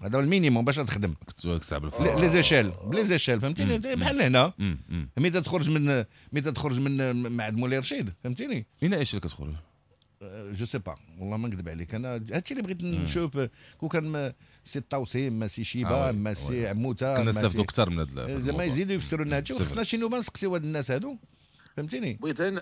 هذا هو ال minimum باش تخدم. les échelles ب les échelles، فهمتيني؟ بحال هنا ملي تخرج من معهد مولاي رشيد، فهمتيني؟ من échelle كتخرج؟ je sais pas والله ما نكذب عليك، انا هادشي اللي بغيت نشوف. كون كان سي الطوسي ما سي شيبة ما سي عموتة كنا نستافدوا اكثر من هاد زعما يزيدوا يفسروا لنا هادشي. وخصنا شي نوبه نسقسيو هاد الناس هادو، فهمتيني؟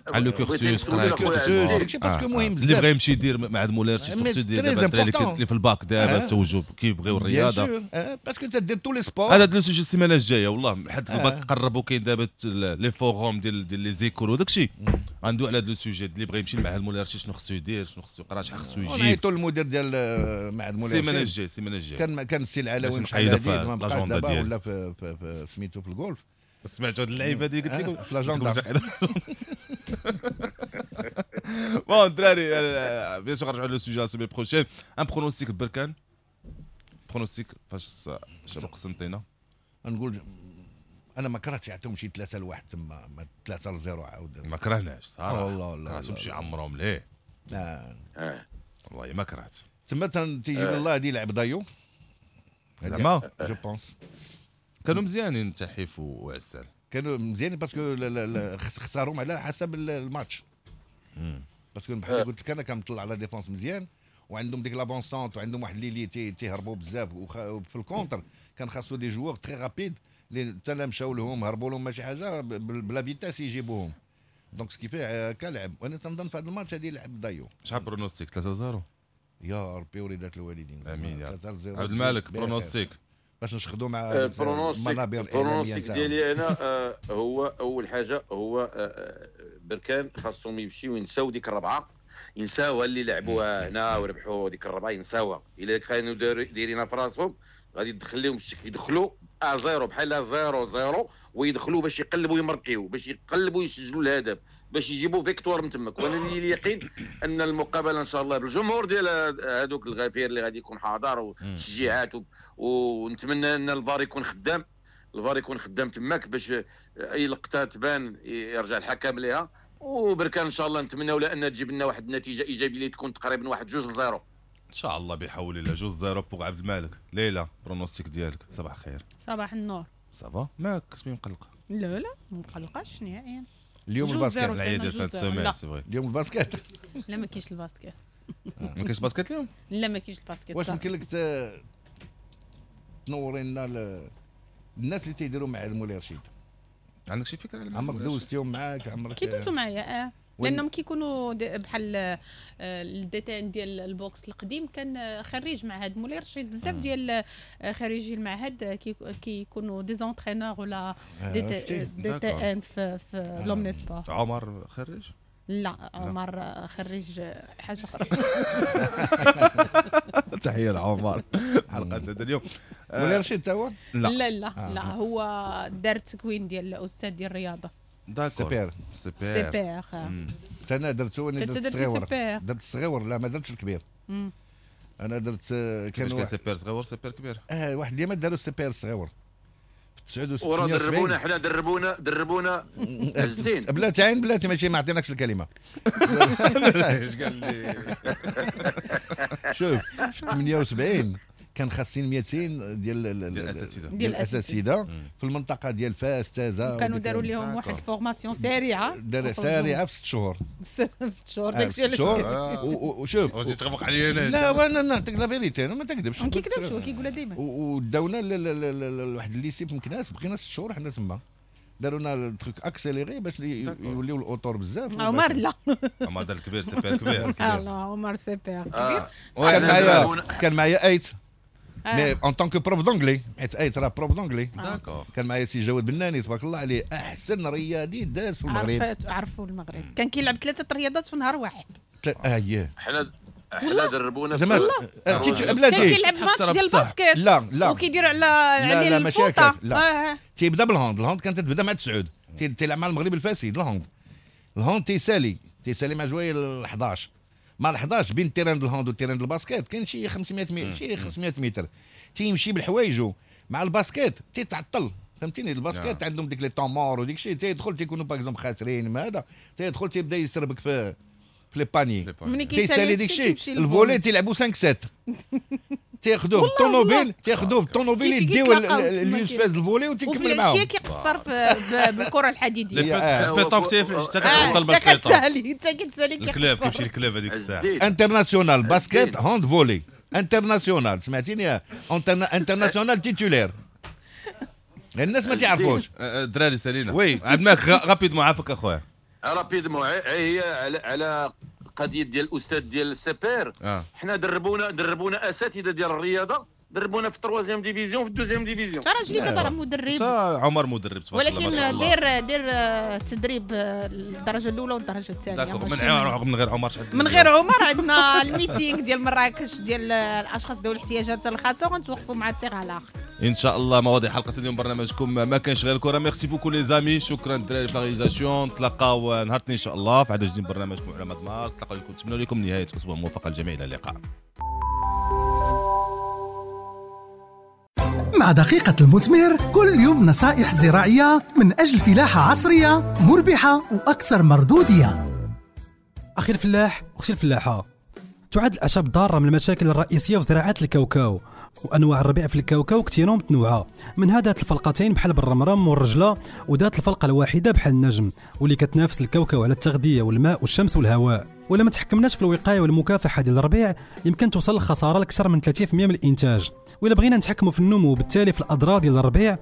على le cursus داكشي parce que مهم بزاف. اللي بغى يمشي يدير مع مولاي رشيد خصو يدير دابا الدراري اللي في الباك دابا التوجه كيبغيو الرياضة parce que تدير tous les sports. هذا le sujet السيمانة الجاية والله، حد الباك قربوا كاين دابا les forums ديال les écoles وداك الشيء، غندوي على هذا le sujet اللي بغى يمشي لمعهد مولاي رشيد شنو خصو يدير، شنو خصو يقرا، شحال خصو يجيب. نعيطوا للمدير ديال معهد مولاي رشيد السيمانة الجاية. كان السي العلوي مشى ما بقاش دابا ولا في سميتو في الجولف. سمعتوا هاد اللعيبة هادي قلت لكم في l'agenda. bon الدراري bien sûr نرجعوا le sujet la semaine prochaine. un pronostic بركان، pronostic فاش شنو قسنطينه؟ نقول انا ما كرهتش يعطيهم شي 3-1 تما، 3-0 عاود ما كرهناش صراحة والله. كرهتهم شي عمرهم ليه. والله ما كرهت تما تيجي الله هادي يلعب دايو زعما je pense كانوا مزيانين تحيف وعسال، كانوا مزيانين parce que اختاروهم على حسب الماتش. parce que بحال قلت لك انا كنطلع على défense مزيان، وعندهم ديك l'avant-centre وعندهم واحد l'ailier تيهربوا بزاف، وفي ال contre كان خاصو des joueurs très rapides اللي حتى لا مشاو لهم هربوا لهم ماشي حاجة ب la vitesse يجيبوهم. donc ce qui fait كلعب. وانا تنظن في هذا الماتش هذه لعب دايو. شحال pronostic؟ 3-0 يا ربي وليدات الوالدين. امين يا رب. عبد الملك pronostic باش نشخدوا مع المنابر ال pronostic ديالي انا هو اول حاجة هو بركان خاصهم يمشيو ينساو ديك الربعه، ينساوها اللي لعبوها هنا وربحوا ديك الربعه، ينساوها. الا كانوا دايرينها في راسهم غادي يدخل لهم الشك، يدخلوا 0 بحال 0-0 ويدخلوا باش يقلبوا يمركيو، باش يقلبوا يسجلوا الهدف، باش يجيبوا victoire من تماك. وانا لي اليقين ان المقابلة ان شاء الله بالجمهور ديال هذوك الغفير اللي غادي يكون حاضر والتشجيعات، ونتمنى ان الفار يكون خدام، الفار يكون خدام تماك باش اي لقطة تبان يرجع الحكم ليها. وبركان ان شاء الله نتمناو لان تجيب لنا واحد النتيجة ايجابية اللي تكون تقريبا واحد 2-0 ان شاء الله بحول الله. 2-0 pour عبد المالك. ليلى pronostic ديالك. صباح الخير. صباح النور. ça va ماك كتبين مقلقة؟ لا لا ما مقلقاش نهائيا. اليوم ال basket العيد ديال فات semaine c'est vrai. اليوم ال basket؟ لا ما كاينش ال basket. ما كاينش basket اليوم؟ لا ما كاينش ال basket. واش يمكن لك تنوري لنا الناس اللي تيديروا مع مولاي رشيد؟ عندك شي فكرة على عمرك دوزتيهم معاك؟ عمرك كيدوزوا معايا؟ لانهم كيكونوا بحال ال DTN ديال ال boxe القديم كان خريج معهد مولاي رشيد، بزاف ديال خريجي المعهد كيكونوا des entraîneurs ولا DTN في l'omnisports. عمر خريج؟ لا، عمر خريج حاجة اخرى. تحية لعمر. حلقة هذا اليوم مولاي رشيد تا هو؟ لا. لا لا لا، هو دار تكوين ديال الاستاذ ديال الرياضه. d'accord. CPR. CPR. CPR. انا درتو، انا انت درت درتي الصغيور. CPR. درت الصغيور، لا ما درتش الكبير. انا درت كان كان CPR صغيور، CPR كبير. واحد اليوم داروا ال CPR الصغيور في 89. وراه دربونا حنا، دربونا عزتين. بلاتي عين بلاتي، ماشي ما عطيناكش الكلمه. ايش قال لي؟ شوف، في 78 كان خاصين 200 ديال ديال الاساتذه. ديال الاساتذة في المنطقة ديال فاس، تازا. كانوا داروا لهم واحد formation سريعه. دار سريعة في 6 شهور. في 6 شهور، داكشي علاش شهور. وشوف، واش تغمق عليا انا؟ لا، وانا نعطيك la vérité، انا ما تكذبش. ما كيكذبش، هو كيقولها ديما. وداونا لواحد ال lycée في مكناس، بقينا 6 شهور حنا تما، داروا لنا ال truc accéléré باش يوليو الاطر بزاف. عمر لا. عمر دار الكبير، CPR كبير. لا، عمر CPR كبير. كان معايا ايت mais en tant que prof d'anglais، حيت ايت راه prof d'anglais. كان معايا سي جواد بناني، تبارك الله عليه، احسن رياضي داز في المغرب. عرفوا المغرب، كان كيلعب ثلاثة رياضات في نهار واحد. اه. حنا دربونا. زعما بلاتي، كان كيلعب ماتش ديال ال basket. لا لا. وكيدير على لا، ماشي هكاك، لا. تيبدا بال hand، ال hand كانت تبدا مع تسعود، تيلعب مع المغرب الفاسي ال hand. ال hand تيسالي مع جوية ال 11، مع ال 11. بين ال terrain ال hand وال terrain ال basket كاين شي 500 متر، شي 500 متر. تيمشي بالحوايجو مع ال basket، تيتعطل، فهمتيني؟ ال basket عندهم ديك les temps morts وديك الشيء. تيدخل، تيكونوا par exemple خاسرين ما هذا، تيدخل تيبدا يسربك في les paniers. ملي تيسالي ديك الشيء، ال volley تيلعبوا 5 7، تياخذوه بالطوموبيل، تياخذوه بالطوموبيل، يديو اليوسف ال volley وتيكمل معاهم. وفي كيقصر بالكرة الحديديه. ال pétanque حتى كتعطل بال pétanque، كتسالي، انت كتسالي. ال club، كيمشي ال club هذيك الساعه. international basket، hand، volley international، سمعتيني؟ international titulaire، الناس ما تعرفوش. الدراري سالينا. oui. عبد المالك، rapidement عافاك اخويا. rapidement، هي على قضية ديال الاستاذ ديال ال CPR. حنا دربونا اساتذة ديال الرياضه، دربونا في ال troisième division، في ال deuxième division. راجلي دابا راه مدرب. عمر مدرب. تبارك الله. ولكن دير تدريب الدرجة الاولى والدرجة الثانيه. من غير عمر؟ من غير عمر، عندنا ال meeting ديال مراكش ديال الاشخاص ذوي الاحتياجات الخاصه، وغنتوقفوا مع التغالاق. ان شاء الله مواضيع حلقة اليوم برنامجكم ما كانش غير الكره. merci beaucoup les amis، شكرا الدراري في la réalisation. نتلاقاو نهار ان شاء الله في عدد جديد من برنامجكم علماء مارس. نتلاقاو لكم، نتمنى لكم نهاية اسبوع موفقة للجميع، الى اللقاء. مع دقيقة المثمر، كل يوم نصائح زراعية من أجل فلاحة عصرية مربحة وأكثر مردودية. أخي الفلاح، أختي الفلاحة، تعد الأعشاب الضارة من المشاكل الرئيسية في زراعة الكاوكاو، وانواع الربيع في الكاوكاو كثيرة ومتنوعه، من ذات الفلقتين بحال بالرمرم والرجله، وذات الفلقه الواحدة بحال النجم، واللي كتنافس الكاوكاو على التغذية والماء والشمس والهواء. ولا ما تحكمناش في الوقاية والمكافحه ديال الربيع يمكن توصل الخسارة لاكثر من 30% من الانتاج. وإلا بغينا نتحكموا في النمو وبالتالي في الاضرار ديال الربيع.